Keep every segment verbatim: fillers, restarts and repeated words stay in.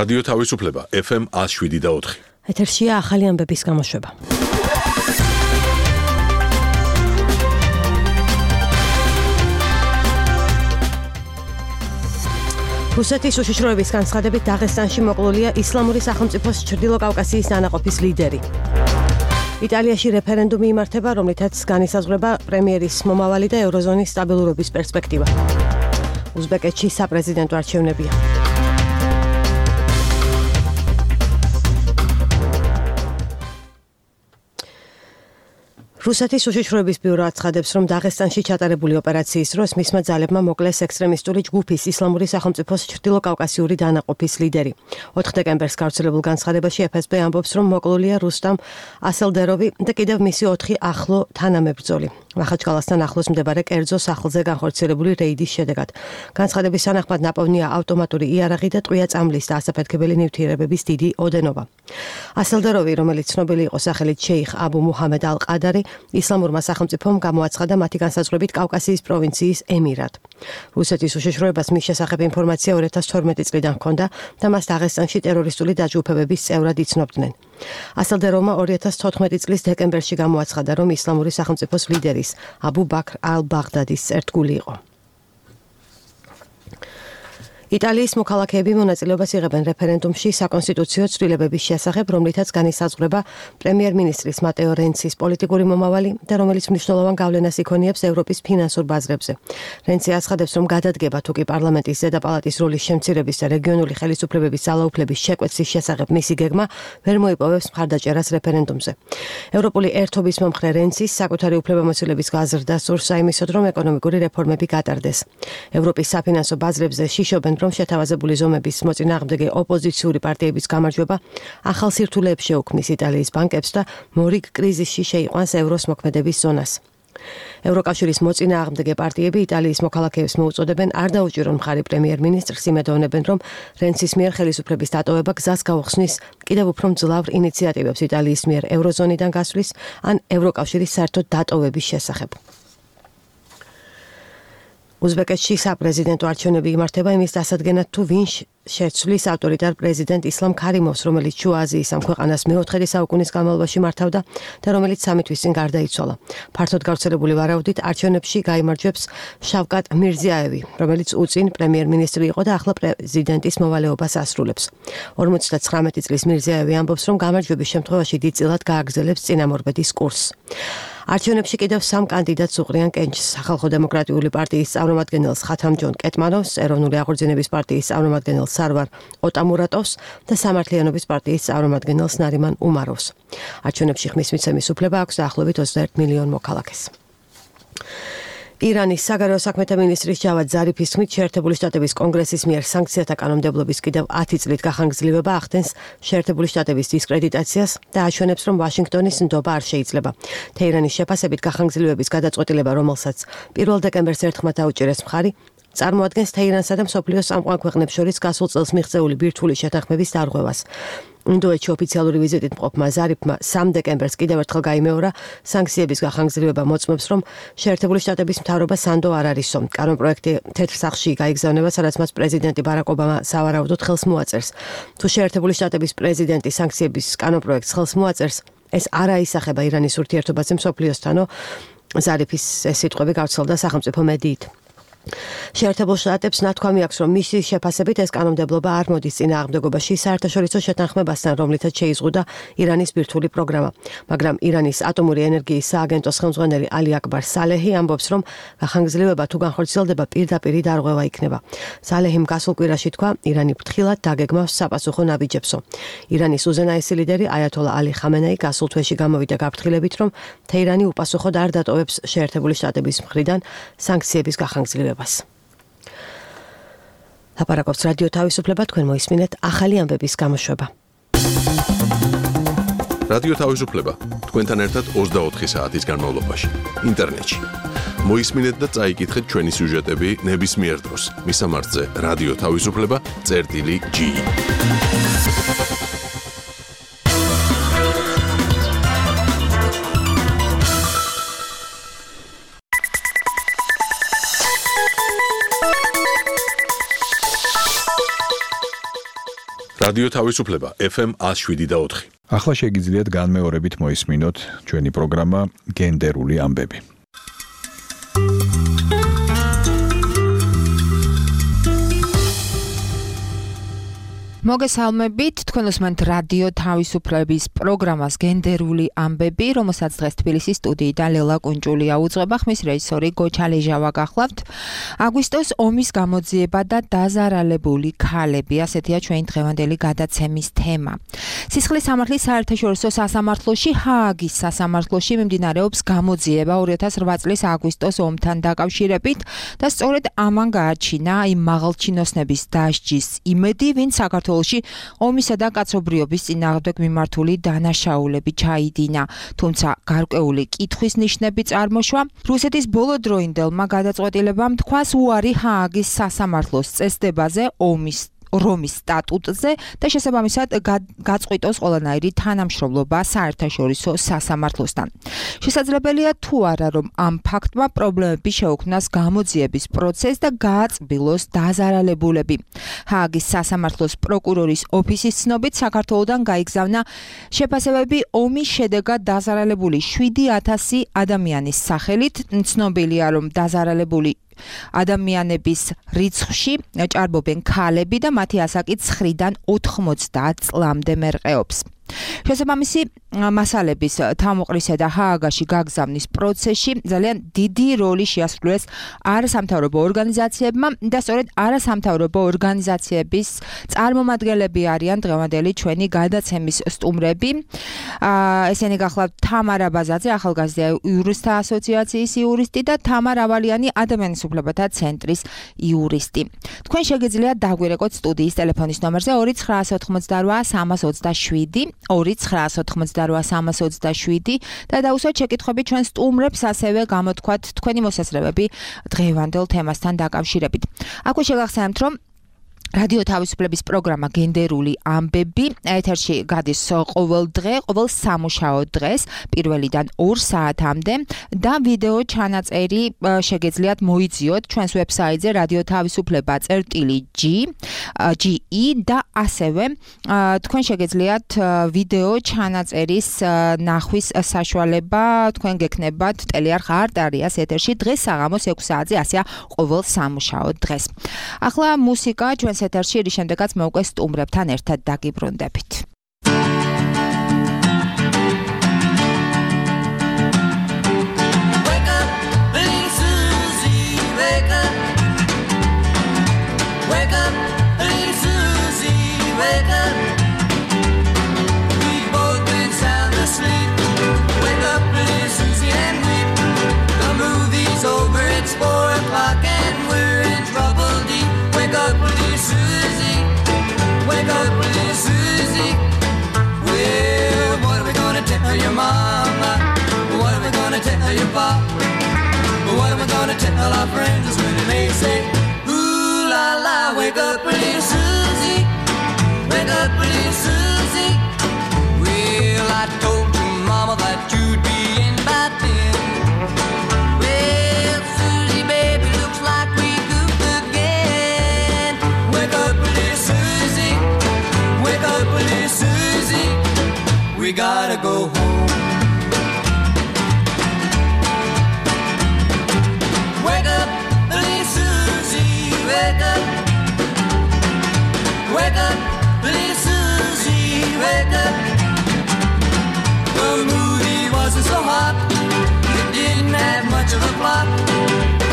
რადიო თავისუფლება ეფ ემ one oh seven და four. ეთერშია ახალი ამბების გამოშვება. რუსეთის უშიშროების განცხადებით დაღესტანში მოკლულია ისლამური სახელმწიფოს ჩრდილო კავკასიის დანაყოფის ლიდერი. იტალიაში რეფერენდუმი იმართება, რომლითაც განისაზღვრება პრემიერის მომავალი და ევროზონის სტაბილურობის პერსპექტივა. უზბეკეთში საპრეზიდენტო არჩევნებია. რუსეთის უშიშროების ბიურო აცხადებს, რომ დაღესტანში ჩატარებული ოპერაციის დროს მისმა ძალებმა მოკლეს ექსტრემისტული ჯგუფის ისლამური სახელმწიფოს ჩრდილო კავკასიური დანაყოფის ლიდერი. ოთხ დეკემბერს გავრცელებულ განცხადებაში ეფ ეს ბე ამბობს, რომ მოკლულია რუსტამ ასელდეროვი და კიდევ მისი ოთხი ახლო თანამებრძოლი. მახაჩკალასთან ახლოს მდებარე კერძო სახლზე განხორციელებული რეიდის შედეგად. განცხადების თანახმად ნაპოვნია ავტომატური იარაღი და ტყვია წამლის და ასაფეთქებელი ნივთიერებების დიდი ოდენობა. ასელდეროვი, რომელიც ცნობილი იყო სახელით შეიხ აბუ მუჰამედ ალ-ყადარი, ისლამურმა სახელმწიფომ გამოაცხადა მათი განსაზღვრებით კავკასიის პროვინციის ემირად. რუსეთის უშიშროებას მის შესახებ ინფორმაცია two thousand twelve წლიდან ჰქონდა და მას დაღესტანში ტერორისტული დაჯგუფებების წევრად იცნობდნენ. ასელდეროვმა two thousand fourteen წლის დეკემბერში გამოაცხადა, რომ ისლამური სახელმწიფოს ლიდერის აბუ ბაქრ ალ-ბაღდადის ერთგული იყო. იტალიის მოქალაქეები მონაწილეობას იღებენ რეფერენდუმში საკონსტიტუციო ცვლილებების შესახებ, რომლითაც განისაზღვრება პრემიერ-მინისტრის მატეო რენცის პოლიტიკური მომავალი და რომელიც მნიშვნელოვან გავლენას იქონიებს ევროპის ფინანსურ ბაზრებზე. რენცი აცხადებს, რომ გადადგება თუ კი პარლამენტის ზედაპალატის როლის შემცირების და რეგიონული ხელისუფლებების ძალაუფლების შეკვეცის შესახებ მისი გეგმა ვერ მოიპოვებს მხარდაჭერას რეფერენდუმზე. ევროპული ერთობის მომხრე რენცის საკუთარი უფლებამოსილების გაზრდა სურს საიმისოდ, რომ ეკონომიკური რეფორმები გატარდეს. ევროპის საფინანსო ბაზრებზე შიშობენ, რომ შეთავაზებული ზომების მოწინააღმდეგე ოპოზიციური პარტიების გამარჯვება ახალ სირთულეებს შეუქმნის იტალიის ბანკებს და მორიგ კრიზისში შეიყვანს ევროს მოქმედების ზონას. ევროკავშირის მოწინააღმდეგე პარტიები იტალიის მოქალაქეებს მოუწოდებენ არ დაუჭირონ მხარი პრემიერ-მინისტრს, იმედოვნებენ, რომ რენცის მიერ ხელისუფლების დატოვება გზას გაუხსნის კიდევ უფრო მძლავრ ინიციატივებს იტალიის მიერ ევროზონიდან გასვლის ან ევროკავშირის საერთოდ დატოვების შესახებ. უზბეკეთში საპრეზიდენტო არჩევნები იმართება იმის დასადგენად, თუ ვინ შეცვლის ავტორიტარ პრეზიდენტ ისლამ ქარიმოვს, რომელიც შუა აზიის ამ ქვეყანას მეოთხე საუკუნის განმავლობაში მართავდა და რომელიც სამი თვის წინ გარდაიცვალა. ფართოდ გავრცელებული ვარაუდით არჩევნებში გაიმარჯვებს შავკატ მირზიაევი, რომელიც უწინ პრემიერ-მინისტრი იყო და ახლა პრეზიდენტის მოვალეობას ასრულებს. forty-nine წლის მირზიაევი ამბობს, რომ გამარჯვების შემთხვევაში დიდწილად გააგრძელებს წინამორბედის კურსს. არჩევნებში კიდევ სამ კანდიდატს უყრიან კენჭს: სახალხო დემოკრატიული პარტიის წარმომადგენელს ხათამჯონ კეტმანოვს, ეროვნული აღორძინების პარტიის წარმომადგენელს სარვარ ოტამურატოვს და სამართლიანობის პარტიის წარმომადგენელს ნარიმან უმაროვს. არჩევნებში ხმის მიცემის უფლება აქვს დაახლოებით twenty-one მილიონ მოქალაქეს. ირანის საგარეო საქმეთა მინისტრის ჯავად ზარიფის თქმით, შეერთებული შტატების კონგრესის მიერ სანქციათა კანონმდებლობის კიდევ ten წლით გახანგრძლივება ახდენს შეერთებული შტატების დისკრედიტაციას და აჩვენებს, რომ ვაშინგტონის ნდობა არ შეიძლება. თეირანის შეფასებით გახანგრძლივების გადაწყვეტილება, რომელსაც პირველ დეკემბერს ერთხმად აუჭირეს მხარი, წარმოადგენს თეირანსა და მსოფლიოს წამყვან ქვეყნებს შორის გასულ წელს მიღწეული ბირთვული შეთანხმების დარღვევას. ინდოეთში ოფიციალური ვიზიტით მყოფმა ზარიფმა სამ დეკემბერს კიდევ ერთხელ გაიმეორა სანქციების გახანგრძლივება მოწმობს, რომ შეერთებული შტატების მთავრობა სანდო არ არისო. კანონპროექტი თეთრ სახლში გაიგზავნება, სადაც მას პრეზიდენტი ბარაკ ობამა სავარაუდოდ ხელს მოაწერს. თუ შეერთებული შტატების პრეზიდენტი სანქციების კანონპროექტს ხელს მოაწერს, ეს არ აისახება ირანის ურთიერთობაზე მსოფლიოსთანო, ზარიფის ეს სიტყვები გავრცელდა სახელმწიფო მედიით. შეერთებულ შტატებს ნათქვამი აქვს, რომ მისი შეფასებით ეს კანონმდებლობა არ მოდის წინააღმდეგობაში საერთაშორისო შეთანხმებასთან, რომლითაც შეიზღუდა ირანის ბირთვული პროგრამა. მაგრამ ირანის ატომური ენერგიის სააგენტოს ხელმძღვანელი ალი აკბარ სალეჰი ამბობს, რომ გახანგრძლივება თუ განხორციელდება პირდაპირი დარღვევა იქნება. სალეჰიმ გასულ კვირაში თქვა, ირანი ფრთხილად დაგეგმავს საპასუხო ნაბიჯებსო. ირანის უზენაესი ლიდერი აიათოლა ალი ხამენეი გასულ თვეში გამოვიდა გაფრთხილებით, რომ თეირანი უპასუხოდ არ დატოვებს შეერთებული შტატების მხრიდან სანქციების გახანგრძლივებას. ლაპარაკობს რადიო თავისუფლება, თქვენ მოისმინეთ ახალი ამბების გამოშვება. რადიო თავისუფლება, თქვენთან ერთად twenty-four საათის განმავლობაში, ინტერნეტში. მოისმინეთ და წაიკითხეთ ჩვენი სიუჟეტები ნებისმიერ დროს. მისამართზე რადიო თავისუფლება წერტილი ჯი. რადიო თავისუფლება ეფ ემ one oh seven და four. ახლა შეგიძლიათ განმეორებით მოისმინოთ ჩვენი პროგრამა გენდერული ამბები. მოგესალმებით, თქვენ უსმენთ რადიო თავისუფლების პროგრამას გენდერული ამბები, რომელსაც დღეს თბილისის სტუდიიდან ლელა კუნჭულია უძღვება, ხმის რეჟისორი გოჩა ლეჟავა გახლავთ. აგვისტოს ომის გამოძიება და დაზარალებული ქალები, ასეთია ჩვენი დღევანდელი გადაცემის თემა. სისხლის სამართლის საერთაშორისო სასამართლოში, ჰააგის სასამართლოში მიმდინარეობს გამოძიება ორი ათას რვა წლის აგვისტოს ომთან დაკავშირებით და სწორედ ამან გააჩინა იმ მაღალჩინოსნების დასჯის იმედი, ვინც საქართველოს ომისა და კაცობრიობის წინააღმდეგ მიმართული დანაშაულები ჩაიდინა, თუმცა გარკვეული კითხვის ნიშნები წარმოშვა. რუსეთის ბოლოდროინდელმა გადაწყვეტილებამ თქვას უარი ჰააგის სასამართლოს წესდებაზე ომის რომის სტატუტზე და შესაბამისად გაწყვიტოს ყველანაირი თანამშრომლობა საერთაშორისო სასამართლოსთან. შესაძლებელია თუ არა, რომ ამ ფაქტმა პრობლემები შეუქმნას გამოძიების პროცესს და გააწბილოს დაზარალებულები. ჰააგის სასამართლოს პროკურორის ოფისის ცნობით საქართველოდან გაიგზავნა შეფასებები ომის შედეგად დაზარალებული შვიდი ათასი ადამიანის სახელით. ცნობილია, რომ დაზარალებული ადამიანების რიცხვში ჭარბობენ ქალები და მათი ასაკი ცხრიდან ოთხმოცდაათ წლამდე მერყეობს. შესაბამისი მასალების თავმოყრისა და ჰააგაში გაგზავნის პროცესში ძალიან დიდი როლი შეასრულეს არასამთავრობო ორგანიზაციებმა და სწორედ არასამთავრობო ორგანიზაციების წარმომადგენლები არიან დღევანდელი ჩვენი გადაცემის სტუმრები. ესენი გახლავთ თამარა ბაზაძე, ახალგაზრდა იურისტთა ასოციაციის იურისტი და თამარ ავალიანი, ადამიანის უფლებათა ცენტრის იურისტი. თქვენ შეგიძლიათ დაგვირეკოთ სტუდიის ტელეფონის ნომერზე ორი ცხრაასი ოთხმოცდარვა სამას ოცდაშვიდი ორი ცხრაასი ოთხმოცდარვა სამას ოცდაშვიდი და დაუსვათ შეკითხვები ჩვენ სტუმრებს, ასევე გამოთქვათ თქვენი მოსაზრებები დღევანდელ თემასთან დაკავშირებით. აქვე შეგახსენებთ, რომ რადიო თავისუფლების პროგრამა გენდერული ამბები ეთერში გადის ყოველ დღე, ყოველ სამუშაო დღეს, პირველიდან ორ საათამდე და ვიდეო ჩანაწერი შეგეძლიათ მოიძიოთ ჩვენს ვებსაიტზე რადიო თავისუფლება წერტილი ჯი ი და ასევე თქვენ შეგეძლიათ ვიდეო ჩანაწერის ნახვის საშუალება, თქვენ გექნებათ ტელეარხ არტარიას ეთერში დღეს საღამოს ექვსი საათზე, ასეა ყოველ სამუშაო დღეს. ახლა მუსიკა ჩვენს ეთერში, რის შემდეგაც მე უკვე სტუმრებთან ერთად დაგიბრუნდებით. Your mama, what are we gonna tell your pop? What are we gonna tell our friends when they say, ooh la la, wake up, pretty Susie, wake up, pretty Susie. Well, I told your mama that you'd be in by then. Well, Susie, baby, looks like we goofed again. Wake up, pretty Susie, wake up, pretty Susie. We gotta go home. Wake up, little Susie, wake up. Wake up, little Susie, wake up. The movie wasn't so hot, it didn't have much of a plot.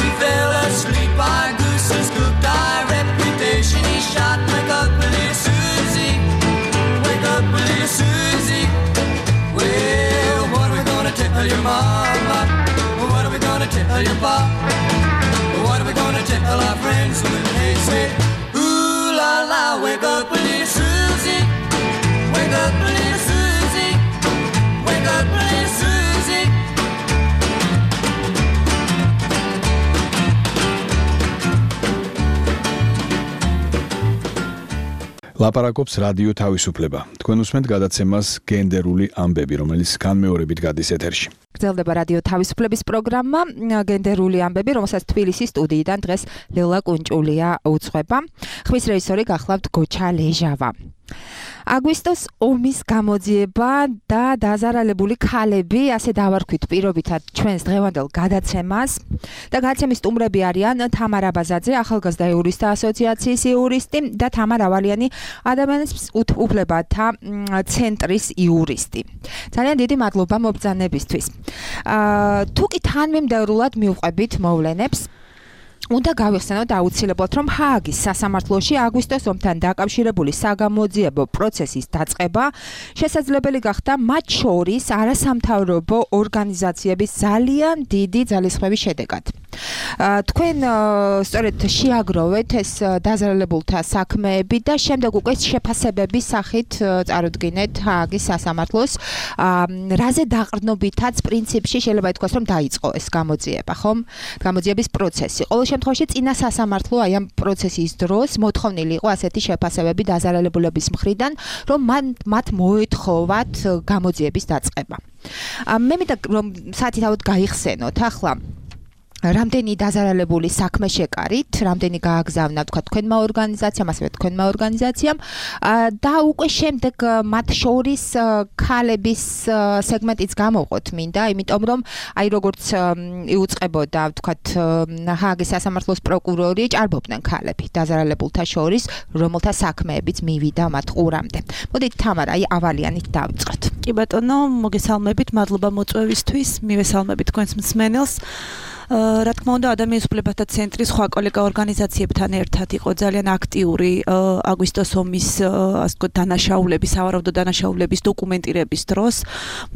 We fell asleep, our gooses cooked, our reputation is shot. Wake up, little Susie, wake up, little Susie. Well, what are we gonna tell your mama? What are we gonna tell your pop? What are we gonna tell our friends when they say, ooh la la, wake up, little Susie, wake up, little Susie, wake up, little Susie. ლაპარაკობს რადიო თავისუფლება. თქვენ უსმენთ გადაცემას გენდერული ამბები, რომელიც განმეორებით გადის ეთერში. გრძელდება რადიო თავისუფლების პროგრამა გენდერული ამბები, რომელსაც თბილისის სტუდიიდან დღეს ლელა კუნჭულია უძღვება. ხმის რეჟისორი გახლავთ გოჩა ლეჟავა. აგვისტოს ომის გამოძიება და დაზარალებული ქალები, ასე დავარქვით პირობითად ჩვენს დღევანდელ გადაცემას და გადაცემის სტუმრები არიან თამარა ბაზაძე, ახალგაზრდა იურისტთა ასოციაციის იურისტი და თამარ ავალიანი, ადამიანის უფლებათა ცენტრის იურისტი. ძალიან დიდი მადლობა მობრძანებისთვის. თუ კი თანმიმდევრულად მივყვებით მოვლენებს, უნდა გავიხსენოთ აუცილებლად, რომ ჰააგის სასამართლოში აგვისტოს ომთან დაკავშირებული საგამოძიებო პროცესის დაწყება შესაძლებელი გახდა მათ შორის არასამთავრობო ორგანიზაციების ძალიან დიდი ძალისხმევის შედეგად. თქვენ სწორედ შეაგროვეთ ეს დაზარალებულთა საქმეები და შემდეგ უკვე შეფასებების სახით წარუდგინეთ ჰააგის სასამართლოს, რაზე დაყრდნობითაც პრინციპში შეიძლება ითქვას, რომ დაიწყო ეს გამოძიება, ხომ? გამოძიების პროცესი. ყოველ შემთხვევაში წინა სასამართლო აი ამ პროცესის დროს მოთხოვნილი იყო ასეთი შეფასებები დაზარალებულების მხრიდან, რომ მათ მოეთხოვათ გამოძიების დაწყება. მე მინდა რომ საათით გაიხსენოთ ახლა რამდენი დაზარალებული საქმე შეკარით, რამდენი გააგზავნა თქვა თქვენმა ორგანიზაციამ, ასევე თქვენმა ორგანიზაციამ და უკვე შემდეგ მათ შორის ქალების სეგმენტიც გამოვყოთ მინდა, იმიტომ რომ აი როგორც იუწყებოდა თქვა ჰააგის სასამართლოს პროკურორი, ჭარბობდნენ ქალები დაზარალებულთა შორის, რომელთა საქმეებიც მივიდა მათ ყურამდე. მოდით თამარა, აი ავალიანით დავიწყოთ. კი ბატონო, მოგესალმებით, მადლობა მოწვევისთვის, მივესალმებით თქვენს მსმენელს. რა თქმა უნდა, ადამიანის უფლებათა ცენტრის სხვა კოლეგა ორგანიზაციებთან ერთად იყო ძალიან აქტიური აგვისტოს ომის ასე ვთქვათ დანაშაულების, სავარაუდო დანაშაულების დოკუმენტირების დროს.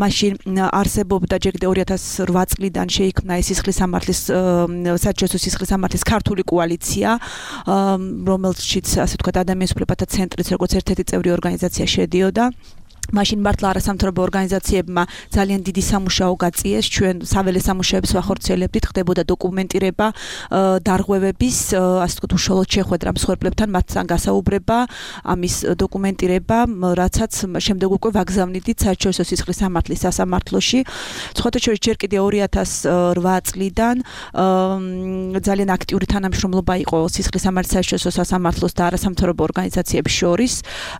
მაშინ არსებობდა ჯერ კიდევ ორი ათას რვა წლიდან შეიქმნა ეს სისხლისამართლის საერთაშორისო სისხლისამართლის ქართული კოალიცია, რომელშიც ასე ვთქვათ ადამიანის უფლებათა ცენტრიც როგორც ერთ-ერთი წევრი ორგანიზაცია შედიოდა. მაშინ მართლა არასამთავრობო ორგანიზაციებმა ძალიან დიდი სამუშაო გაწიეს, ჩვენ საველე სამუშაოებს ვახორციელებდით, ხდებოდა დოკუმენტირება დარღვევების, ასე ვთქვათ, უშუალოდ შეხვედრა მსხვერპლებთან, მათთან გასაუბრება, ამის დოკუმენტირება, რაცაც შემდეგ უკვე ვაგზავნიდით საერთაშორისო სისხლისამართლის სასამართლოში. სხვათა შორის ჯერ კიდევ ორი ათას რვა წლიდან ძალიან აქტიური თანამშრომლობა იყო სისხლისამართლის საერთაშორისო სასამართლოს და არასამთავრობო ორგანიზაციების შორის.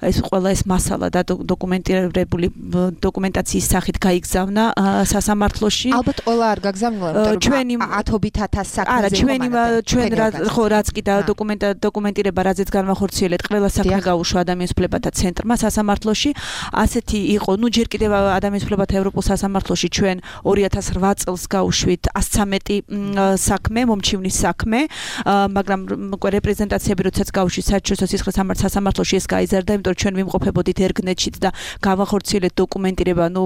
ეს ყველა ეს მასალა და დოკუმენტირება დოკუმენტაციის სახით გაიგზავნა სასამართლოში. ალბათ ყველა არ გაგზავნა, ჩვენი ათობით ათას საქმეზე. არა, ჩვენი ჩვენ ხო რაც კი და დოკუმენტირება რაზეც განვახორციელეთ, ყველა საქმე გაუშვა ადამიანის უფლებათა ცენტრმა სასამართლოში. ასეთი იყო, ну ჯერ კიდევ ადამიანის უფლებათა ევროპულ სასამართლოში ჩვენ ორი ათას რვა წელს გავუშვით ასი ცამეტი საქმე, მომჩივნის საქმე, მაგრამ რეპრეზენტაციები როდესაც გავუშვით საერთაშორისო სისხლისამართლის სასამართლოში ეს გაიზარდა, იმიტომ რომ ჩვენ ვიმყოფებოდით ერგნეთშიც და გავახორციელეთ დოკუმენტირება, ну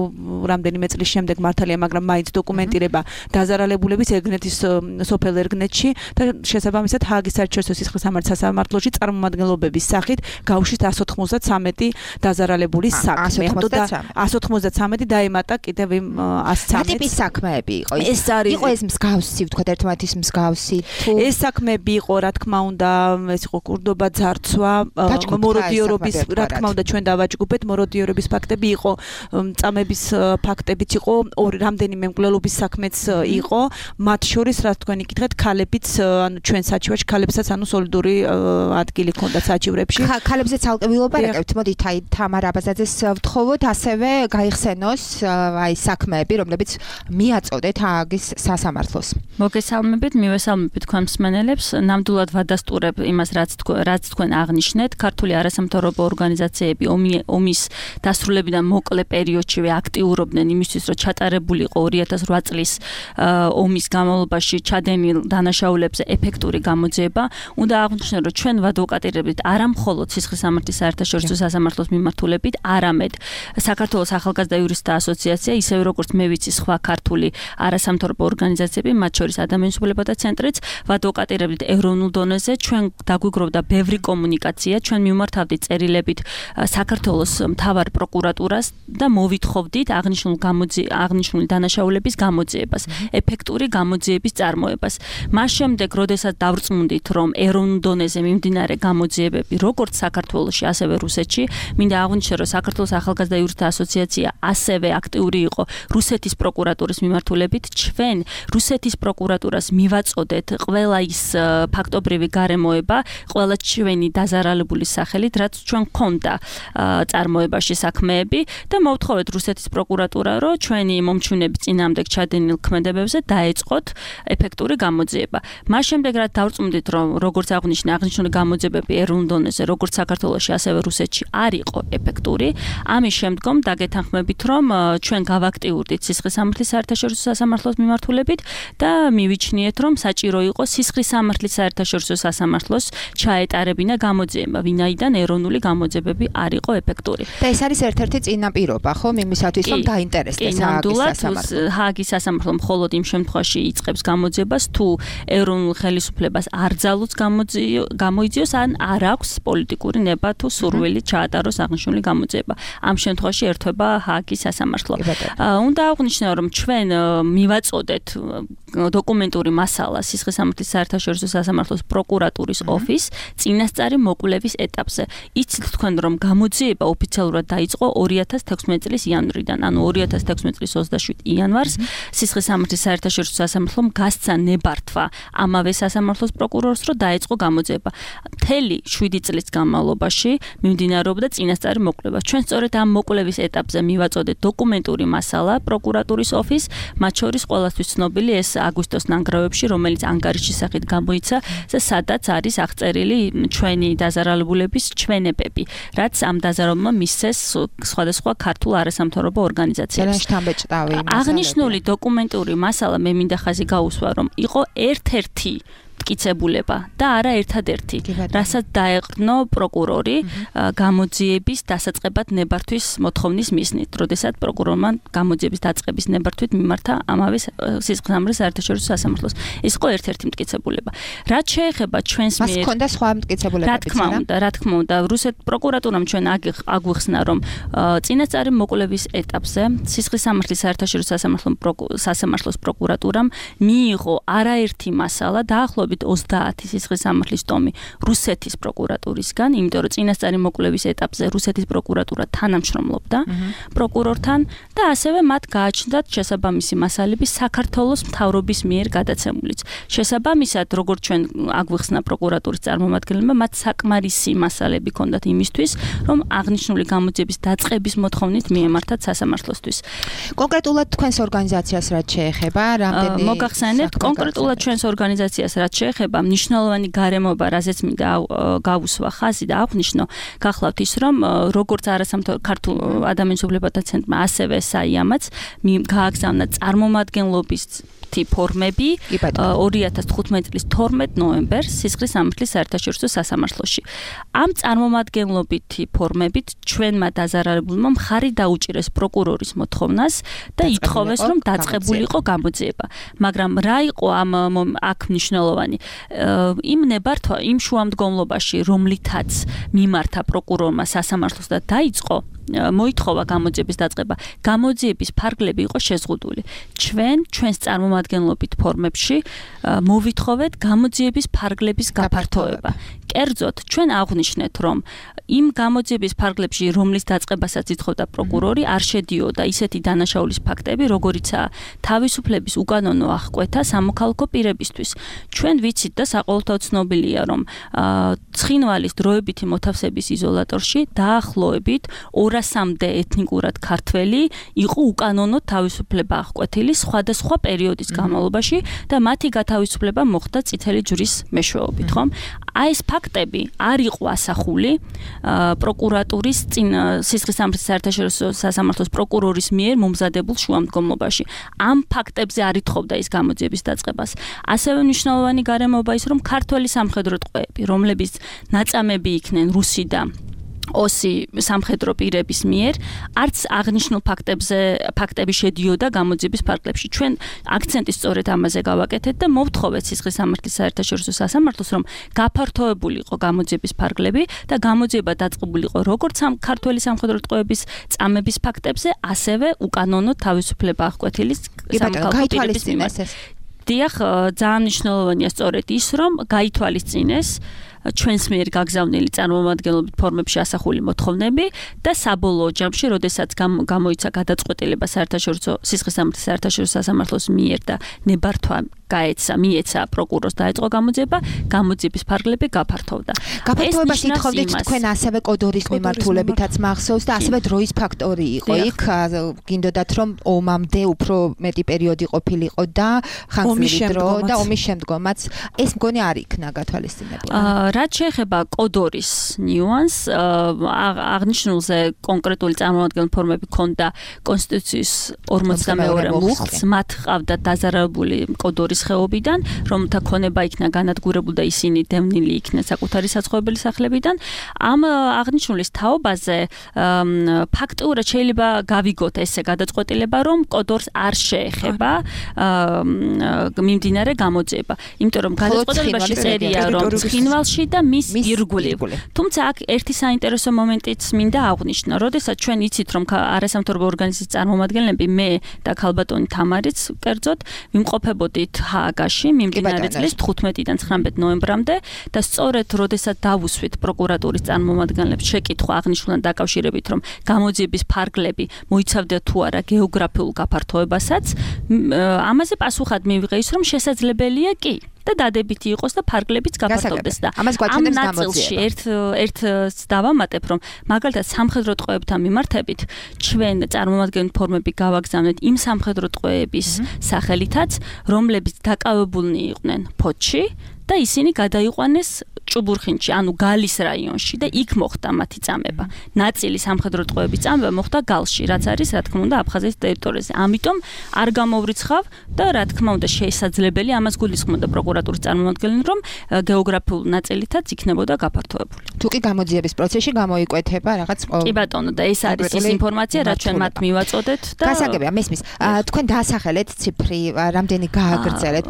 რამდენიმე წლის შემდეგ მართალია, მაგრამ მაინც დოკუმენტირება დაზარალებულების ერგნეთის სოფელ ერგნეთში და შესაბამისად ჰააგის საერთაშორისო სისხლისამართლის სასამართლოში წარმომადგენლობების სახით გავუშვით ასი ოცდაათი დაზარალებულის საქმე. ასი ოცდაათი დაემატა კიდევ იმ ასი ცამეტს. რა ტიპის საქმეები იყო? ეს არის იყო ეს მსგავსი, ვთქვათ, ერთმანეთის მსგავსი თუ ეს საქმეები იყო, რა თქმა უნდა, ეს იყო კურდობა, ძარცვა, მოროდიორობის, რა თქმა უნდა, ჩვენ დავაჯგუფეთ მოროდიორობის ფაქტები იყო, წამების ფაქტებიც იყო, ორი რამდენიმე მკვლელობის საქმეც იყო, მათ შორის რა თქვენი კითხეთ, ქალებიც, ანუ ჩვენ საჩივარში ქალებსაც ანუ სოლიდური ადგილი ჰქონდა საჩივრებში. ქალებზე ცალკე ვილაპარაკებთ, მოდით აი თამარა ბაზაძეს ვთხოვოთ, ასევე გაიხსენოს აი საქმეები, რომლებიც მიაწოდეთ ჰააგის სასამართლოს. მოგესალმებით, მივესალმებით თქვენ მსმენელებს, ნამდვილად ვადასტურებ იმას, რაც რაც თქვენ აღნიშნეთ, ქართული არასამთავრობო ორგანიზაციები ომის დასრულებიდან მოკლე პერიოდშივე აქტიურობდნენ იმისთვის, რომ ჩატარებულიყო ორი ათას რვა წლის ომის განმავლობაში ჩადენილ დანაშაულებზე ეფექტური გამოძიება. უნდა აღვნიშნო, რომ ჩვენ ვადვოკატირებით არა მხოლოდ სისხლისამართლის საერთაშორისო სასამართლოს მიმართულებით, არამედ საქართველოს ახალგაზრდა იურისტთა ასოციაცია, ისევე როგორც მე ვიცი სხვა ქართული არასამთავრობო ორგანიზაციები, მათ შორის ადამიანის უფლებათა ცენტრიც, ვადვოკატირებით ეროვნულ დონეზე, ჩვენ დაგვიგროვდა ბევრი კომუნიკაცია, ჩვენ მიმართავდით წერილებით საქართველოს მთავარ პროკურატურას და მოვითხოვდით აღნიშნულ გამოძიებას აღნიშნული დანაშაულების გამოძიებას, ეფექტური გამოძიების წარმოებას. მას შემდეგ, როდესაც დავრწმუნდით, რომ ეროვნულ დონეზე მიმდინარე გამოძიებები, როგორც საქართველოში, ასევე რუსეთში, მინდა აღვნიშნო, რომ საქართველოს ახალგაზრდა იურისტთა ასოციაცია ასევე აქტიური იყო რუსეთის პროკურატურის მიმართულებით. ჩვენ რუსეთის პროკურატურას მივაწოდეთ ყველა ის ფაქტობრივი გარემოება, ყველა ჩვენი დაზარალებული სახელით, რაც ჩვენ გქონდა წარმოებაში საქმეები და მოვთხოვეთ რუსეთის პროკურატურა, რომ ჩვენი მომჩვენების წინააღმდეგ ჩადენილ ქმედებებზე დაეწყოთ ეფექტური გამოძიება. მას შემდეგ რაც დავწმუნდით, რომ როგორც აღნიშნე, აღნიშნული გამოძიებები ეროვნულ დონეზე, როგორც საქართველოში, ასევე რუსეთში არ იყო ეფექტური, ამის შემდგომ დაგეთანხმებით, რომ ჩვენ გავაქტიურდით სისხლის სამართლის საერთაშორისო სასამართლოს მიმართულებით და მივიჩნიეთ, რომ საჭირო იყო სისხლის სამართლის საერთაშორისო სასამართლოს ჩაეტარებინა გამოძიება, ვინაიდან ეროვნული გამოძიებები არ იყო ეფექტური. და ეს არის ერთ-ერთი წინაპირობა, ხო, იმისათვის, რომ დაინტერესდეს ჰააგის სასამართლო. ჰააგის სასამართლო მხოლოდ იმ შემთხვევაში იწყებს გამოძიებას, თუ ეროვნულ ხელისუფლებას არ ძალუց გამოიძიოს, ან არ აქვს პოლიტიკური ნება თუ სურვილი ჩაატაროს აღნიშნული გამოძიება. ამ შემთხვევაში ერთვება ჰააგის სასამართლო. უნდა აღვნიშნო, რომ ჩვენ მივაწოდეთ დოკუმენტური მასალა სისხლის სამართლის საერთაშორისო სასამართლოს პროკურატურის ოფისს წინასწარი მოკვლევის ეტაპზე. იცით თქვენ, რომ გამოძიება ოფიციალურად დაიწყო ორი ათას თექვსმეტი წლის იანვრიდან, ანუ ორი ათას თექვსმეტი წლის ოცდაშვიდი იანვარს სისხლის სამართლის საერთაშორისო სასამართლომ გასცა ნებართვა ამავე სასამართლოს პროკურორს, რომ დაეწყო გამოძიება. მთელი შვიდი წლის განმავლობაში მიმდინარეობდა წინასწარი მოკვლევა. ჩვენ სწორედ ამ მოკვლევის ეტაპზე მივაწოდეთ დოკუმენტური მასალა პროკურატურის ოფისს, მათ შორის ყველასთვის ცნობილი ეს აგვისტოს ნანგრევებში, რომელიც ანგარიშის სახით გამოიცა და სადაც არის აღწერილი ჩვენი დაზარალებულების ჩვენებები, რაც ამ დაზარალებულმა მისცეს სხვადასხვა ქართულ არასამთავრობო ორგანიზაციებს. აღნიშნული დოკუმენტური მასალა მე მინდა ხაზი გაუსვა, რომ იყო ერთ-ერთი მტკიცებულება და არა ერთადერთი, რასაც დაეყრდნო პროკურორი გამოძიების დასაწყებად ნებართვის მოთხოვნის მიზნით, როდესაც პროკურორმა გამოძიების დაწყების ნებართვით მიმართა ამავე სისხლის სამართლის საერთაშორისო სასამართლოს. ეს იყო ერთ-ერთი მტკიცებულება. რაც შეეხება ჩვენს მიერ, მას ჰქონდა სხვა მტკიცებულებებიც, რა თქმა უნდა, რა თქმა უნდა, რუსეთ პროკურატურამ ჩვენ აგვიხსნა, რომ წინასწარი მოკვლევის ეტაპზე სისხლის სამართლის საერთაშორისო სასამართლოს პროკურატურამ მიიღო არაერთი მასალა დაახლოებით ოცდაათი სისხლის სამართლის ტომი რუსეთის პროკურატურისგან, იმიტომ რომ წინასწარი მოკვლევის ეტაპზე რუსეთის პროკურატურა თანამშრომლობდა პროკურორთან და ასევე მათ გააჩნდათ შესაბამისი მასალები საქართველოს მთავრობის მიერ გადაცემულიც. შესაბამისად, როგორც ჩვენ აგვიხსნა პროკურატურის წარმომადგენლებმა, მათ საკმარისი მასალები ჰქონდათ იმისთვის, რომ აღნიშნული გამოძიების დაწყების მოთხოვნით მიემართათ სასამართლოსთვის. კონკრეტულად თქვენს ორგანიზაციას რაც შეეხება, რამდენი მოგახსენებთ, კონკრეტულად ჩვენს ორგანიზაციას რაც შეეხება მნიშვნელოვანი გარემოება, რაზეც მინდა გავუსვა ხაზი და აღვნიშნო, გახლავთ ის, რომ როგორც არასამთავრობო ქართულ ადამიანის უფლებათა ცენტრმა, ასევე საიამაც გააგზავნა წარმომადგენლობის ფორმები ორი ათას თხუთმეტი წლის თორმეტ ნოემბერს სისხლის სამართლის საერთაშორისო სასამართლოში. ამ წარმომადგენლობითი ფორმებით ჩვენმა დაზარალებულმა მხარი დაუჭირეს პროკურორის მოთხოვნას და ითხოვეს, რომ დაწყებულიყო გამოძიება. მაგრამ რა იყო ამ აქ მნიშვნელოვანი? იმ ნებართვა, იმ შუამდგომლობაში, რომლითაც მიმართა პროკურორმა სასამართლოს და დაიწყო მოითხოვა გამოძიების დაწყება. გამოძიების ფარგლები იყო შეზღუდული. ჩვენ ჩვენს წარმომადგენლობით ფორმებში მოვითხოვეთ გამოძიების ფარგლების გაფართოება. კერძოდ, ჩვენ აღვნიშნეთ, რომ იმ გამოძიების ფარგლებში, რომლის დაწყებასაც ითხოვდა პროკურორი, არ შედიოდა ისეთი დანაშაულის ფაქტები, როგორიცაა თავისუფლების უკანონო აღკვეთა სამოქალაქო პირებისთვის. ჩვენ ვიცით და საყოველთაოდ ცნობილია, რომ ცხინვალის დროებითი მოთავსების იზოლატორში დაახლოებით ორასამდე ეთნიკურად ქართველი იყო უკანონოდ თავისუფლება აღკვეთილი სხვადასხვა პერიოდის განმავლობაში და მათი გათავისუფლება მოხდა წითელი ჯვრის მეშვეობით, ხომ? აი ეს ფაქტები არ იყო ასახული პროკურატურის წინ სისხლის სამართლის საერთაშორისო სასამართლოს პროკურორის მიერ მომზადებულ შუამდგომლობაში. ამ ფაქტებზე არ ითხოვდა ის გამოძიების დაწყებას. ასევე მნიშვნელოვანი გარემოება ის, რომ ქართველი სამხედრო ტყვეები, რომლებიც ნაწამები იქნენ რუსი და ოსი სამხედრო პირების მიერ არც აღნიშნულ ფაქტებზე ფაქტები შედიოდა გამოძიების ფარგლებში. ჩვენ აქცენტი სწორედ ამაზე გავაკეთეთ და მოვთხოვეთ სისხლისამართლის საერთაშორისო სასამართლოს, რომ გაფართოებულიყო გამოძიების ფარგლები და გამოძიება დაწყებულიყო როგორც ქართველი სამხედრო ტყვეების წამების ფაქტებზე, ასევე უკანონო თავისუფლება აღკვეთილი სამოქალაქო პირების მიმართ. დიახ, ძალიან მნიშვნელოვანია სწორედ ის, რომ გაითვალისწინეს ჩვენს მიერ გაგზავნილი წარმომადგენლობით ფორმებში ასახული მოთხოვნები და საბოლოო ჯამში, როდესაც გამოიცა გადაწყვეტილება საერთაშორისო სისხლისამართლის საერთაშორისო სასამართლოს მიერ და ნებართვა გაეცა, მიეცა პროკურორს დაეწყო გამოძიება, გამოძიების ფარგლები გაფართოვდა. გაფართოებას ითხოვდით თქვენ ასევე კოდორის მიმართულებითაც მახსოვს და ასევე დროის ფაქტორი იყო იქ, გინდოდათ რომ ომამდე უფრო მეტი პერიოდი ყოფილიყო და ხანგრძლივი დრო და ომის შემდგომაც ეს მგონი არ იქნა გათვალისწინებული. რაც შეეხება კოდორის ნიუანს, აღნიშნულზე კონკრეტული წარმომადგენელი ფორმები ჰქონდა კონსტიტუციის ორმოცდამეორე მუხლს, მათ ჰყავდათ დაზარალებული კოდორის ხეობიდან, რომელთა ქონება იქნა განადგურებული და ისინი დევნილი იქნენ საკუთარი საცხოვრებელი სახლებიდან. ამ აღნიშნულის თაობაზე ფაქტურად შეიძლება გავიგოთ ესე გადაწყვეტილება, რომ კოდორს არ შეეხება მიმდინარე გამოძიება, იმიტომ რომ გადაწყვეტილებაში წერია, რომ ცხინვალში და მის ირგვლივ. თუმცა აქ ერთი საინტერესო მომენტიც მინდა აღვნიშნო, როდესაც ჩვენ იცით, რომ არასამთავრობო ორგანიზაციის წარმომადგენლები, მე და ქალბატონი თამარიც კერძოდ ვიმყოფებოდით ჰააგაში მიმდინარე წლის თხუთმეტიდან ცხრამეტ ნოემბრამდე და სწორედ როდესაც დავუსვით პროკურატურის წარმომადგენლებს შეკითხვა აღნიშნულთან დაკავშირებით, რომ გამოძიების ფარგლები მოიცავდა თუ არა გეოგრაფიულ გაფართოებასაც, ამაზე პასუხად მივიღე ის, რომ შესაძლებელია კი და დადებითი იყოს და ფარგლებიც გაფართოვდეს და ამ ნაწილში ერთ ერთს დავამატებ, რომ მაგალითად სამხედრო ტყვეებთან მიმართებით ჩვენ წარმომადგენელი ფორმები გავაგზავნეთ იმ სამხედრო ტყვეების სახელითაც, რომლებიც დაკავებულნი იყვნენ ფოთში და ისინი გადაიყვანეს ჭუბურხინში, ანუ გალის რაიონში და იქ მოხდა მათი წამება. ნაწილი სამხედრო ტყვეების წამება მოხდა გალში, რაც არის, რა თქმა უნდა, აფხაზეთის ტერიტორიაზე. ამიტომ არ გამოვრიცხავ და რა თქმა უნდა, შესაძლებელი ამას გულისხმობდა პროკურატურის წარმომადგენელი, რომ გეოგრაფიულ ნაწილითაც იქნებოდა გაფართოებული. თუ კი გამოძიების პროცესში გამოიკვეთება რაღაც კი ბატონო, და ეს არის ის ინფორმაცია, რაც ჩვენ მათ მივაწოდეთ და გასაგებია, მესმის. თქვენ დაასახელეთ ციფრი, რამდენი გააგრძელეთ,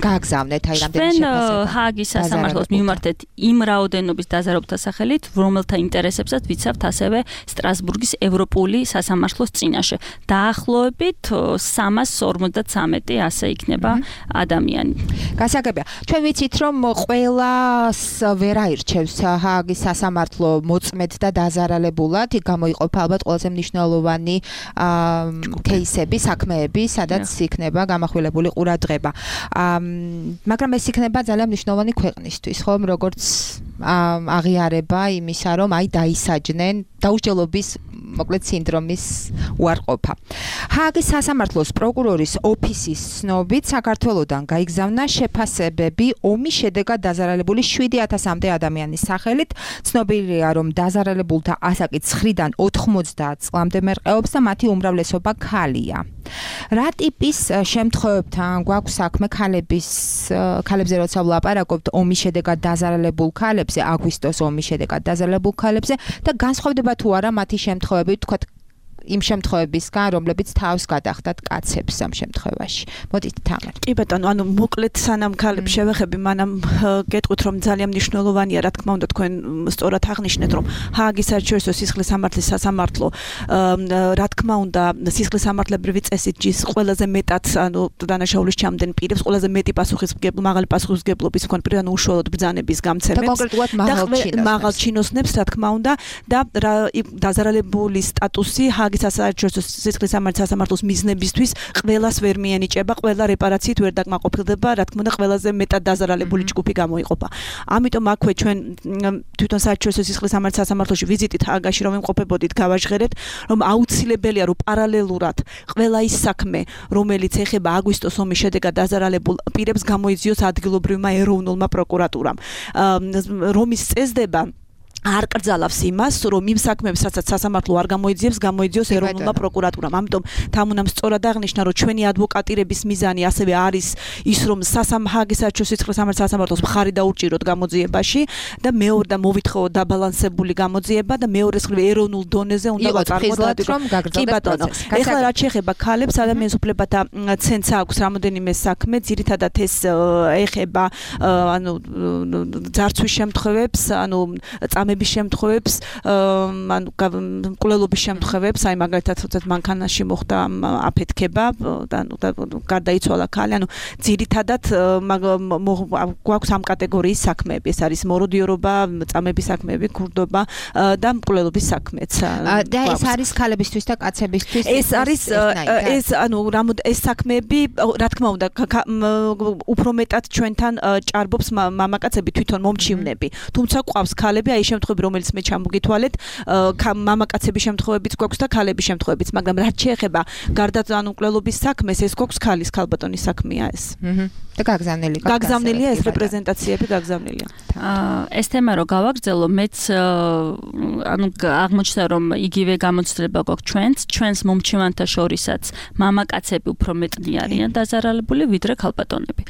გააგზავნეთ, აი რამდენი შეფასება. ჰააგის სასამართლოს მიმართეთ იმ რაოდენობის დაზარალებთა სახელით, რომელთა ინტერესებსაც ვიცავთ ასევე სტრასბურგის ევროპული სასამართლოს წინაშე. დაახლოებით სამას ორმოცდათრამეტი ასე იქნება ადამიანი. გასაგებია. ჩვენ ვიცით, რომ ყველას ვერ აირჩევს ჰააგის სასამართლო მოწმედ და დაზარალებულად, იქ გამოიყოფა ალბათ ყველაზე მნიშვნელოვანი кейსები, საქმეები, სადაც იქნება გამახვილებული ყურადღება. მაგრამ ეს იქნება ძალიან მნიშვნელოვანი ქვეყნისთვის, ხომ, როგორც აღიარება იმისა, რომ აი დაისაჯნენ დაუსჯელობის მოკლედ სინდრომის უარყოფა. ჰააგის სასამართლოს პროკურორის ოფისის ცნობით საქართველოდან გაიგზავნა შეფასებები ომის შედეგად დაზარალებული შვიდი ათასამდე ადამიანის სახელით. ცნობილია, რომ დაზარალებულთა ასაკი ცხრიდან ოთხმოცდაათ წლამდე მერყეობს და მათი უმრავლესობა ქალია. რა ტიპის შემთხვევებთან გვაქვს საქმე ქალების ქალებზე, როცა ვლაპარაკობთ ომის შედეგად დაზარალებულ ქალებზე, აგვისტოს ომის შედეგად დაზარალებულ ქალებზე და განსხვავდება თუ არა მათი შემთხვევები, თქვათ იმ შემთხვევებისგან, რომლებიც თავს გადახდათ კაცებს ამ შემთხვევაში. მოდით თამარ. კი ბატონო, ანუ მოკლედ სანამ ქალებს შევეხები, მანამ გეტყვით, რომ ძალიან მნიშვნელოვანია, რა თქმა უნდა, თქვენ სწორად აღნიშნეთ, რომ ჰააგის საერთაშორისო სისხლისამართლის სასამართლო, რა თქმა უნდა, სისხლისამართლებრივი წესით ჯის ყველაზე მეტად, ანუ დანაშაულის ჩამდენ პირებს ყველაზე მეტი პასუხისმგებლობა, მაღალი პასუხისმგებლობის მქონე პირებს, ანუ უშუალოდ ბრძანების გამცემებს და კონკრეტულად მაღალ ჩინოსნებს, რა თქმა უნდა, და დაზარალებული სტატუსი ჰააგის საერთაშორისო სისხლისამართლის სასამართლოს მიზნებისთვის ყველას ვერ მიენიჭება, ყველა რეპარაციით ვერ დაკმაყოფილდება, რა თქმა უნდა, ყველაზე მეტად დაზარალებული ჯგუფი გამოიყოფა. ამიტომ აქვე ჩვენ თვითონ საერთაშორისო სისხლისამართლის სასამართლოში ვიზიტით ჰააგაში რომ იმყოფებოდით, გავაჟღერეთ, რომ აუცილებელია, რომ პარალელურად ყველა ის საქმე, რომელიც ეხება აგვისტოს ომის შედეგად დაზარალებულ პირებს, გამოიძიოს ადგილობრივმა ეროვნულმა პროკურატურამ. რომის წესდება არ კრძალავს იმას, რომ იმ საქმეებს, რასაც სასამართლო არ გამოიძიებს, გამოიძიოს ეროვნულმა პროკურატურამ. ამიტომ თამუნამ სწორად აღნიშნა, რომ ჩვენი ადვოკატირების მიზანი ასევე არის ის, რომ სასამართლოს საერთაშორისო სამართლის სასამართლოს მხარი დაურჭიროთ გამოძიებაში და მეორე და მოვითხოვოთ დაბალანსებული გამოძიება და მეორე მხრივ ეროვნულ დონეზე უნდა გაწარმოოთ რომ გაგრძელდეს პროცესი. ეხლა რაც შეეხება ქალებს, ადამიანის უფლებათა ცენტრს აქვს რამოდენიმე საქმე, ძირითადად ეს ეხება ანუ ძარცვის შემთხვევებს, ანუ წამების შემთხვევებს, ანუ მკვლელობის შემთხვევებს, აი მაგალითად თუნდაც მანქანაში მოხდა აფეთქება და ანუ გარდაიცვალა ქალი, ანუ ძირითადად გვაქვს ამ კატეგორიის საქმეები, ეს არის მოროდიორობა, წამების საქმეები, ქურდობა და მკვლელობის საქმეც. და ეს არის ქალებისთვის და კაცებისთვის? ეს არის ეს ანუ ეს საქმეები, რა თქმა უნდა, უფრო მეტად ჩვენთან ჭარბობს მამაკაცები თვითონ მომჩივნები. თუმცა ყავს ქალები, აი შემთხვევები, რომელიც მე ჩამოგითვალეთ, მამაკაცების შემთხვევებიც გვაქვს და ქალების შემთხვევებიც, მაგრამ რაც შეეხება გარდა ანუ მკვლელობის საქმეს, ეს გვაქვს ქალის ქალბატონის საქმეა ეს. აჰა. და გაგზავნილი გახდა. გაგზავნილია ეს რეპრეზენტაციები გაგზავნილია. აა ეს თემა რო გავაგრძელო, მეც ანუ აღმოჩნდა რომ იგივე გამოცდილება გვაქვს ჩვენს, ჩვენს მომჩივანთა შორისაც მამაკაცები უფრო მეტნი არიან დაზარალებული ვიდრე ქალბატონები.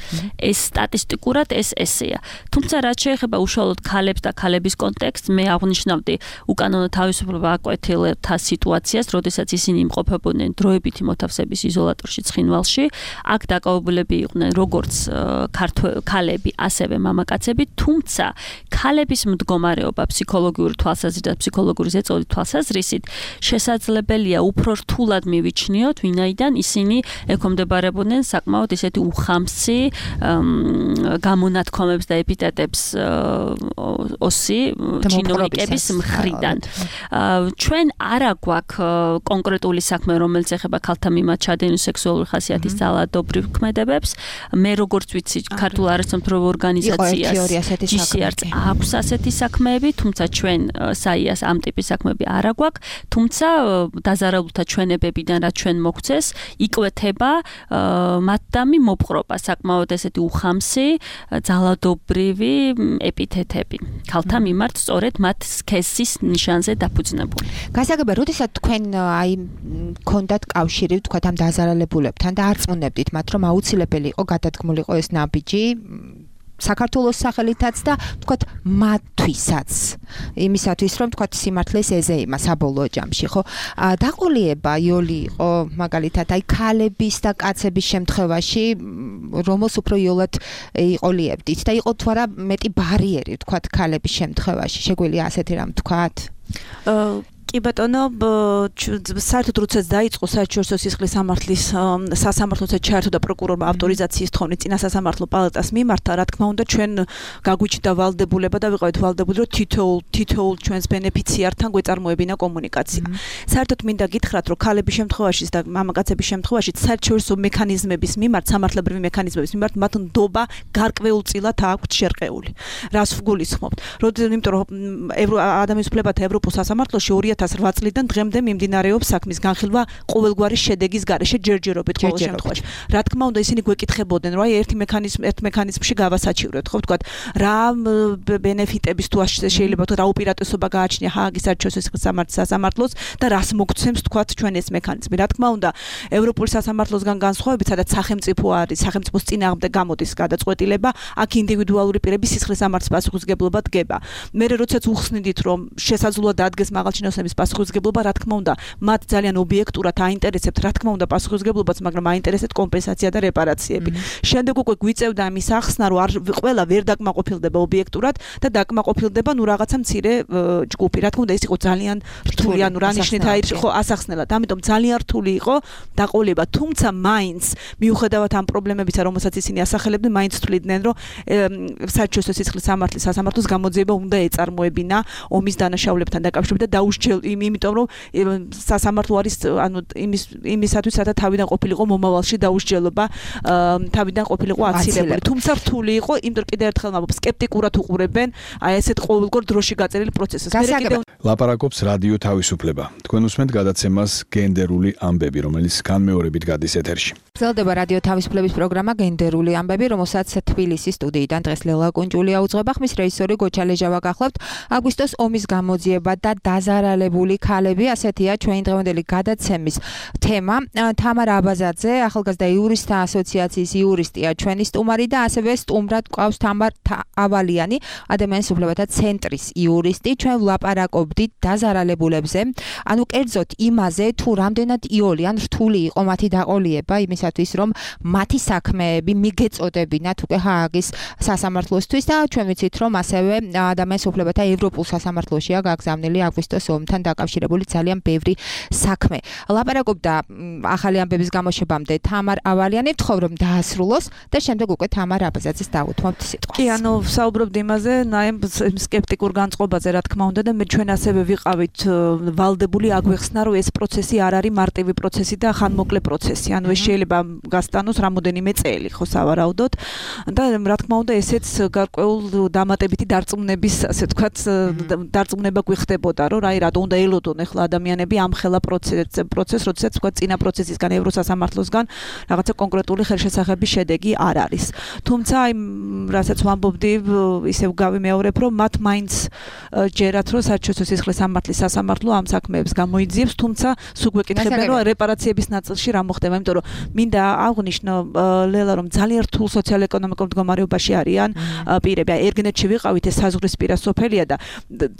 ეს სტატისტიკურად ეს ესეა. თუმცა რაც შეეხება უშუალოდ ქალებს და ქალების კონტექსტს, მე აღნიშნავდი უკანონო თავისუფლება აკვეთილთა სიტუაციას, როდესაც ისინი იმყოფებოდნენ დროებითი მოთავსების იზოლატორში ცხინვალში, აქ დაკავებულები იყვნენ როგორც ქალები, ასევე მამაკაცები, თუმცა ქალების მდგომარეობა ფსიქოლოგიური თვალსაზრისით და ფსიქოლოგიური ზეწოლის თვალსაზრისით შესაძლებელია უფრო რთულად მივიჩნიოთ, ვინაიდან ისინი ექვემდებარებოდნენ საკმაოდ ისეთი უხამსი გამონათქვამებს და ეპიტეტებს ოსი ჩინოვნიკების მხრიდან. ჩვენ არა გვაქვს კონკრეტული საქმე, რომელიც ეხება ქალთა მიმართ ჩადენილ სექსუალური ხასიათის ძალადობრივ ქმედებებს. მე როგორც ვიცი, ქართულ არასამთავრობო ორგანიზაციას ჯი სი არ-ს აქვს ასეთი საქმეები, თუმცა ჩვენ საიას ამ ტიპის საქმეები არ აგვაქვს, თუმცა დაზარალულთა ჩვენებებიდან რაც ჩვენ მოგცეს, იკვეთება მათდამი მოპყრობა, საკმაოდ ესეთი უხამსი ძალადობრივი ეპითეტები. ქალთა მიმართ სწორედ მათ სქესის ნიშანზე დაფუძნებული. გასაგებია, როდესაც თქვენ აი გქონდათ კავშირი, თქვა ამ დაზარალებულებთან და არწმუნებდით მათ, რომ აუცილებელი იყო გადადგმულიყო ეს ნაბიჯი საქართველოს სახელითაც და თქვათ მათთვისაც იმისათვის რომ თქვათ სიმართლეს ეზეიმა საბოლოო ჯამში ხო დაყოლიება იოლი იყო მაგალითად აი ქალების და კაცების შემთხვევაში რომელს უფრო იოლად იყოლიებდით და იყო თუ არა მეტი ბარიერი თქვათ ქალების შემთხვევაში შეგვიძლია ასეთი რამ თქვათ კი ბატონო, საერთოდ როდესაც დაიწყო საერთაშორისო სისხლის სამართლის სასამართლოზე ჩაერთო და პროკურორმა ავტორიზაციის თხოვნა წინა სასამართლო პალატას მიმართა, რა თქმა უნდა, ჩვენ გაგვიჩნდა ვალდებულება და ვიყავით ვალდებული, რომ თითოეულ თითოეულ ჩვენს ბენეფიციართან გვეწარმოებინა კომუნიკაცია. საერთოდ მინდა გითხრათ, რომ ქალების შემთხვევაში და მამაკაცების შემთხვევაში საერთაშორისო მექანიზმების მიმართ, სამართლებრივი მექანიზმების მიმართ მათ ნდობა გარკვეულწილად აქვთ შერყეული. რას ვგულისხმობთ? როდესაც იმიტომ რომ ადამიანის უფლებათა ევროპულ სასამართლოში ორი ათას რვა წლიდან დღემდე მიმდინარეობს საქმის განხილვა ყოველგვარი შედეგის გარეშე ჯერჯერობით ყოველ შემთხვევაში. რა თქმა უნდა, ისინი გვეკითხებოდნენ, რომ აი ერთი მექანიზმ ერთ მექანიზმში გავასაჩივრეთ, ხო ვთქვათ, რა ბენეფიტების თუ შეიძლება თუ რა უპირატესობა გააჩნია ჰააგის საერთაშორისო სამართლის სასამართლოს და რას მოგცემს ვთქვათ ჩვენ ეს მექანიზმი. რა თქმა უნდა, ევროპული სასამართლოსგან განსხვავებით, სადაც სახელმწიფო არის, სახელმწიფოს წინააღმდეგ გამოდის გადაწყვეტილება, აქ ინდივიდუალური პირების სისხლის სამართლის პასუხისმგებლობა დგება. მე როდესაც უხსნიდით, რომ შესაძლოა დადგეს მაღალჩინოსნების პასუხისმგებლობა, რა თქმა უნდა, მათ ძალიან ობიექტურად აინტერესებთ, რა თქმა უნდა, პასუხისმგებლობაც, მაგრამ აინტერესებთ კომპენსაცია და რეპარაციები. შემდეგ უკვე გვიწევდა ამის ახსნა, რომ არ ყველა ვერ დაკმაყოფილდება ობიექტურად და დაკმაყოფილდება ნუ რაღაცა მცირე ჯგუფი. რა თქმა უნდა, ეს იყო ძალიან რთული, ანუ რა ნიშნით აი ხო ასახსნელად. ამიტომ ძალიან რთული იყო დაყოლება, თუმცა მაინც მიუხედავად ამ პრობლემებისა, რომელსაც ისინი ასახელებდნენ, მაინც თვლიდნენ, რომ საერთაშორისო სისხლის სამართლის სასამართლოს გამოძიება უნდა ეწარმოებინა ომის დანაშაულებთან დაკავშირებით და დაუშჯელ იმიტომ რომ სასამართლო არის ანუ იმის იმისათვის რათა თავიდან ყოფილიყო მომავალში დაუსჯელობა თავიდან ყოფილიყო აცილებული. თუმცა რთული იყო, იმიტომ რომ კიდევ ერთხელ მაბობ სკეპტიკურად უყურებენ აი ესეთ ყოველგვარ დროში გაწერილი პროცესს. ლაპარაკობს რადიო თავისუფლება. თქვენ უსმენთ გადაცემას გენდერული ამბები, რომელიც განმეორებით გადის ეთერში. გრძელდება რადიო თავისუფლების პროგრამა გენდერული ამბები, რომელსაც თბილისის სტუდიიდან დღეს ლელა კუნჭულია უძღვება. ხმის რეჟისორი გოჩა ლეჟავა გახლავთ. აგვისტოს ომის გამოძიება და დაზარალებული ქალები, ასეთია ჩვენი დღევანდელი გადაცემის თემა. თამარ აბაზაძე, ახალგაზრდა იურისტთა ასოციაციის იურისტია, ჩვენი სტუმარი და ასევე სტუმრად გვყავს თამარ ავალიანი, ადამიანის უფლებათა ცენტრის იურისტი. ჩვენ ვლაპარაკობდით დაზარალებულებზე, ანუ კერძოდ იმაზე, თუ რამდენად იოლი ან რთული იყო მათი დაყოლიება იმის რომ მათი საქმეები მიგეწოდებინათ უკვე ჰააგის სასამართლოსთვის და ჩვენ ვიცით რომ ასევე ადამიანის უფლებათა ევროპულ სასამართლოშია გაგზავნილი აგვისტოს ომთან დაკავშირებული ძალიან ბევრი საქმე. ლაპარაკობდა ახალი ამბების გამოშვებამდე თამარ ავალიანი, ვთხოვ რომ დაასრულოს და შემდეგ უკვე თამარ აბაზაძეს დავუთმობთ სიტყვას. კი, ანუ საუბრობთ იმაზე, ნაიმ სკეპტიკურ განწყობაზე, რა თქმა უნდა და მე ჩვენ ასევე ვიყავით ვალდებული აგვეხსნა რომ ეს პროცესი არ არის მარტივი პროცესი და ხანმოკლე პროცესი. ანუ ეს შეიძლება გასტანოს რამოდენიმე წელი, ხო, სავარაუდოდ და რა თქმა უნდა ესეც გარკვეულ დამატებითი დარწმუნების, ასე ვთქვათ, დარწმუნება გვიხდებოდა, რომ რაი რატო უნდა ელოდონ ახლა ადამიანები ამ ხელა პროცესს, პროცესს, როდესაც ვთქვათ, წინა პროცესისგან ევროსასამართლოსგან რაღაცა კონკრეტული ხელშესახების შედეგი არ არის. თუმცა აი რასაც ვამბობდი, ისევ გავიმეორებ, რომ მათ მაინც ჯერათ, რომ საერთაშორისო სისხლის სამართლის სასამართლო ამ საქმეებს გამოიძიებს, თუმცა სულ გვეკითხებიან, რომ რეპარაციების ნაწილში რა მოხდება, იმიტომ რომ მინდა აღნიშნო ლელა რომ ძალიან რთულ სოციალ-ეკონომიკურ მდგომარეობაში არიან პირები. აი ერგენეთში ვიყავით, ეს საზღვრისპირა სოფელია და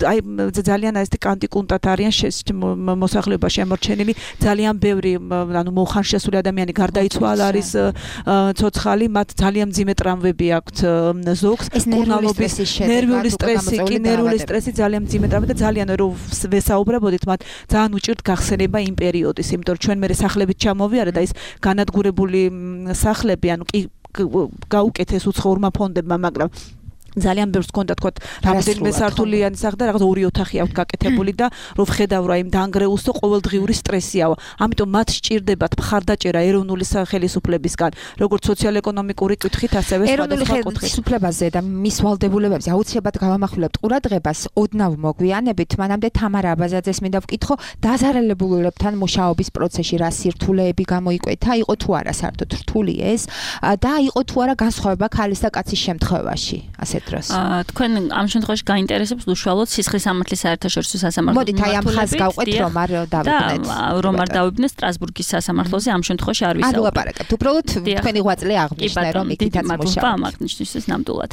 აი ძალიან ეს კანტიკუნტად არიან მოსახლეობაში შემორჩენილი ძალიან ბევრი ანუ მოხანშესული ადამიანი გარდაიცვალა არის ცოცხალი, მათ ძალიან მძიმე ტრამვები აქვთ ზოგს, კურნალობის, ნერვიული სტრესი, კი ნერვიული სტრესი ძალიან მძიმე ტრამვები და ძალიან რომ ვესაუბრებოდით, მათ ძალიან უჭირთ გახსენება იმ პერიოდის, იმიტომ რომ ჩვენ მე სახლებით ჩამოვიარეთ და ის განადგურებული სახლები, ანუ კი გაუკეთეს უცხოურმა ფონდებმა, მაგრამ ძალიან ბევრს ჰქონდა თქვა რამდენიმე სართულიანი სახლი და რაღაც ორი ოთახი აქვს გაკეთებული და რო ვხედავ რა იმ დაანგრეულს და ყოველდღიური სტრესია. ამიტომ მათ სჭირდებათ მხარდაჭერა ეროვნული ხელისუფლებისგან, როგორც სოციალ-ეკონომიკური კუთხით, ასევე სხვადასხვა კუთხით. ხელისუფლებაზე და მის ვალდებულებებზე აუცილებლად გავამახვილებთ ყურადღებას. ოდნავ მოგვიანებით, მანამდე თამარ აბაზაძეს მინდა ვკითხო, დაზარალებულებთან მუშაობის პროცესში რა სირთულეები გამოიკვეთა, იყო თუ არა საერთოდ რთული ეს და იყო თუ არა განსხვავება ქალის და კაცის შემთხვევაში, ასე თქვენ ამ შემთხვევაში გაინტერესებს უშუალოდ სისხლის სამართლის საერთაშორისო სასამართლოს. მოდით აი ამ ხაზს გავყვეთ, რომ არ დავიბნეთ. რომ არ დავიბნეთ სტრასბურგის სასამართლოზე ამ შემთხვევაში არ ვისაუბრებთ. არ ვლაპარაკებთ. უბრალოდ თქვენი ღვაწლი აღნიშნე, რომ იქითაც მუშაობთ. აღნიშნისთვის ნამდვილად.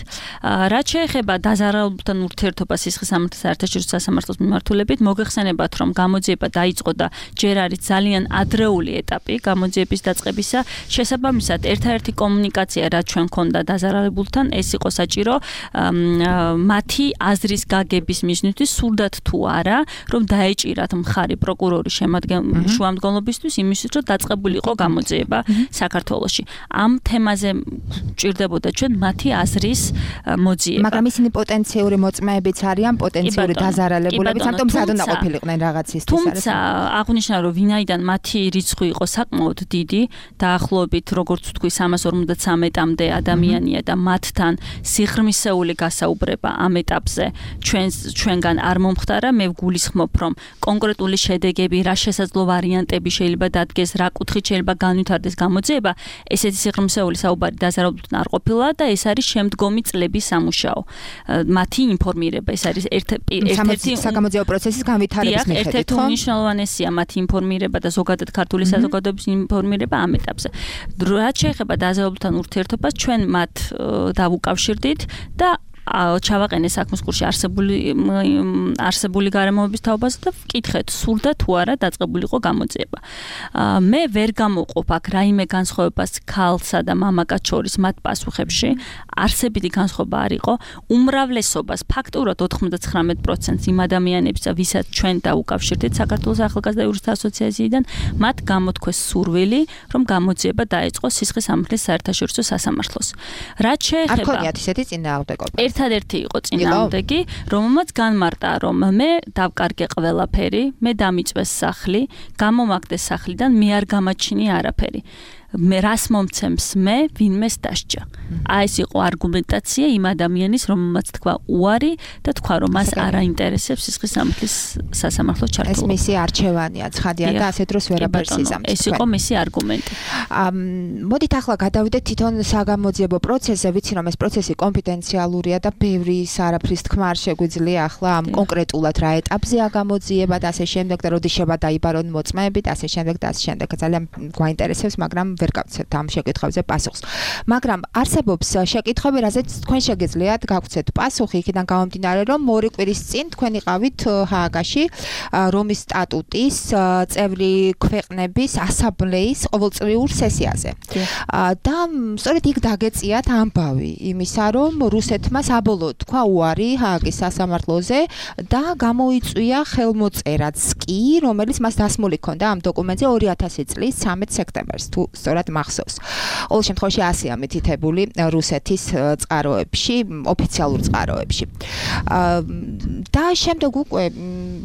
რაც შეეხება დაზარალებულთან ურთიერთობას სისხლის სამართლის საერთაშორისო სასამართლოს მიმართულებით, მოგეხსენებათ, რომ გამოძიება დაიწყო და ჯერ არის ძალიან ადრეული ეტაპი გამოძიების დაწყებისა. შესაბამისად, ერთადერთი კომუნიკაცია, რაც ჩვენ ქონდა დაზარალებულთან, ეს იყო საჭირო მათი აზრის გაგების მიზნით სურდათ თუ არა, რომ დაეჭირათ მხარი პროკურორის შუამდგომლობისთვის იმისთვის, რომ დაწყებულიყო გამოძიება საქართველოში. ამ თემაზე ჭირდებოდა ჩვენ მათი აზრის მოძიება. მაგრამ ისინი პოტენციური მოწმეებიც არიან, პოტენციური დაზარალებულებიც, ამიტომ სად უნდა ყოფილიყვნენ რაღაცისთვის. თუმცა აღნიშნა, რომ ვინაიდან მათი რიცხვი იყო საკმაოდ დიდი, დაახლოებით როგორც ვთქვი სამას ორმოცდათრამეტამდე ადამიანია და მათთან სიღრმის სეული გასაუბრება ამ ეტაპზე ჩვენ ჩვენგან არ მომხდარა. მე ვგულისხმობ, რომ კონკრეტული შედეგები, რა შესაძლო ვარიანტები შეიძლება დადგეს, რა კუთხით შეიძლება განვითარდეს გამოძიება, ესეთი სიღრმისეული საუბარი დაზარალებულთან არ ყოფილა და ეს არის შემდგომი წლების სამუშაო. მათი ინფორმირება, ეს არის ერთ-ერთი საგამოძიებო პროცესის განვითარების მიხედვით, ერთ-ერთი უმნიშვნელოვანესია მათი ინფორმირება და ზოგადად ქართული საზოგადოების ინფორმირება ამ ეტაპზე. რაც შეეხება დაზარალებულთან ურთიერთობას, ჩვენ მათ დავუკავშირდით და ჩავაყენე საქმის კურსში არსებული არსებული გარემოების თაობაზე და ვკითხეთ, სურდა თუ არა დაწყებულიყო გამოძიება. მე ვერ გამოვყოფ აქ რაიმე განსხვავებას ქალსა და მამაკაც შორის მათ პასუხებში. არსებითი განსხვავება არ იყო. უმრავლესობას, ფაქტურად ოთხმოცდათხრამეტ პროცენტს იმ ადამიანებს, ვისაც ჩვენ დაუკავშირდით საქართველოს ახალგაზრდა იურისტთა ასოციაციიდან, მათ გამოთქვეს სურვილი, რომ გამოძიება დაეწყოს სისხლის სამართლის საერთაშორისო სასამართლოს. რაც შეეხება არ ქონიათ ისეთი წინააღმდეგობა. ერთადერთი იყო წინააღმდეგი, რომელმაც განმარტა, რომ მე დავკარგე ყველაფერი, მე დამიწვეს სახლი, გამომაგდეს სახლიდან, მე არ გამაჩინე არაფერი. მე რას მომცემს მე ვინმეს დასჯა. აი ეს იყო არგუმენტაცია იმ ადამიანის, რომელმაც თქვა უარი და თქვა რომ მას არ აინტერესებს სისხლის სამართლის სასამართლო ჩართულობა. ეს მისი არჩევანია, ცხადია და ასე დროს ვერაფერს იზამთ. ეს იყო მისი არგუმენტი. მოდით ახლა გადავიდეთ თვითონ საგამოძიებო პროცესზე, ვიცი რომ ეს პროცესი კონფიდენციალურია და ბევრი არაფრის თქმა არ შეგვიძლია ახლა ამ კონკრეტულად რა ეტაპზეა გამოძიება და ასე შემდეგ და როდის შევა დაიბარონ მოწმეები და ასე შემდეგ და ასე შემდეგ. ძალიან გვაინტერესებს, მაგრამ ვერ გავცეთ ამ შეკითხვებზე პასუხს. მაგრამ არსებობს შეკითხვები, რაზეც თქვენ შეგიძლიათ გაგვცეთ პასუხი, იქიდან გამომდინარე, რომ ორი კვირის წინ თქვენ იყავით ჰააგაში რომის სტატუტის წევრი ქვეყნების ასამბლეის ყოველწლიურ სესიაზე. და სწორედ იქ დაგეწიათ ამბავი იმისა, რომ რუსეთმა საბოლოოდ თქვა უარი ჰააგის სასამართლოზე და გამოიწვია ხელმოწერაც კი, რომელიც მას დასმული ჰქონდა ამ დოკუმენტზე ორი ათასი წლის ცამეტ სექტემბერს, თუ სწორად მახსოვს. ყოველ შემთხვევაში ასეა მითითებული რუსეთის წყაროებში, ოფიციალურ წყაროებში. და შემდეგ უკვე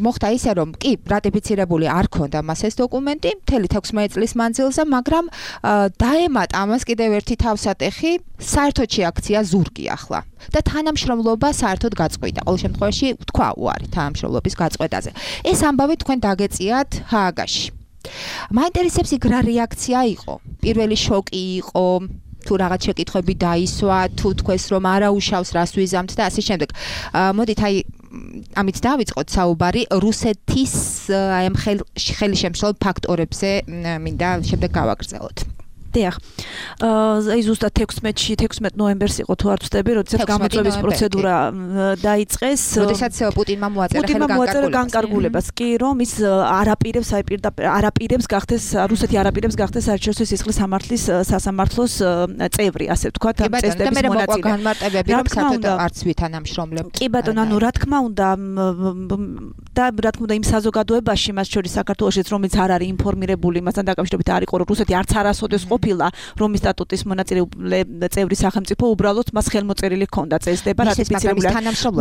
მოხდა ისე, რომ კი, რატიფიცირებული არ ჰქონდა მას ეს დოკუმენტი მთელი თექვსმეტი წლის მანძილზე, მაგრამ დაემატა ამას კიდევ ერთი თავსატეხი, საერთოდ შეაქცია ზურგი ახლა. და თანამშრომლობა საერთოდ გაწყვიტა. ყოველ შემთხვევაში თქვა უარი თანამშრომლობის გაწყვეტაზე. ეს ამბავი თქვენ დაგეწიათ ჰააგაში. მაინტერესებს იქ რა რეაქცია იყო. პირველი შოკი იყო, თუ რაღაც შეკითხვები დაისვა, თუ თქვეს რომ არაუშავს რას ვიზამთ და ასე შემდეგ. მოდით აი ამით დავიწყოთ საუბარი რუსეთის აი ამ ხელშემშლელ ფაქტორებზე მინდა შემდეგ გავაგრძელოთ. დიახ. აი ზუსტად თექვსმეტში, თექვსმეტ ნოემბერს იყო თუ არ ვცდები, როდესაც გამოწვევის პროცედურა დაიწყეს. როდესაც პუტინმა მოაწერა ხელგანკარგულებას. განკარგულებას კი, რომ ის არაპირებს, აი პირდაპირ არაპირებს გახდეს, რუსეთი არაპირებს გახდეს საერთაშორისო სისხლის სამართლის სასამართლოს წევრი, ასე ვთქვათ, ამ წესდების მონაწილე. განმარტებები, რომ საერთოდ არც ვითანამშრომლებთ. კი ბატონო, ანუ რა თქმა უნდა და რა თქმა უნდა იმ საზოგადოებაში, მას შორის საქართველოშიც, რომელიც არ არის ინფორმირებული, მასთან დაკავშირებით არ იყო, რომ რუსეთი არც არასოდეს ყოფილა რომის სტატუტის მონაწილე წევრი სახელმწიფო, უბრალოდ მას ხელმოწერილი ჰქონდა წესდება რატიფიცირებული,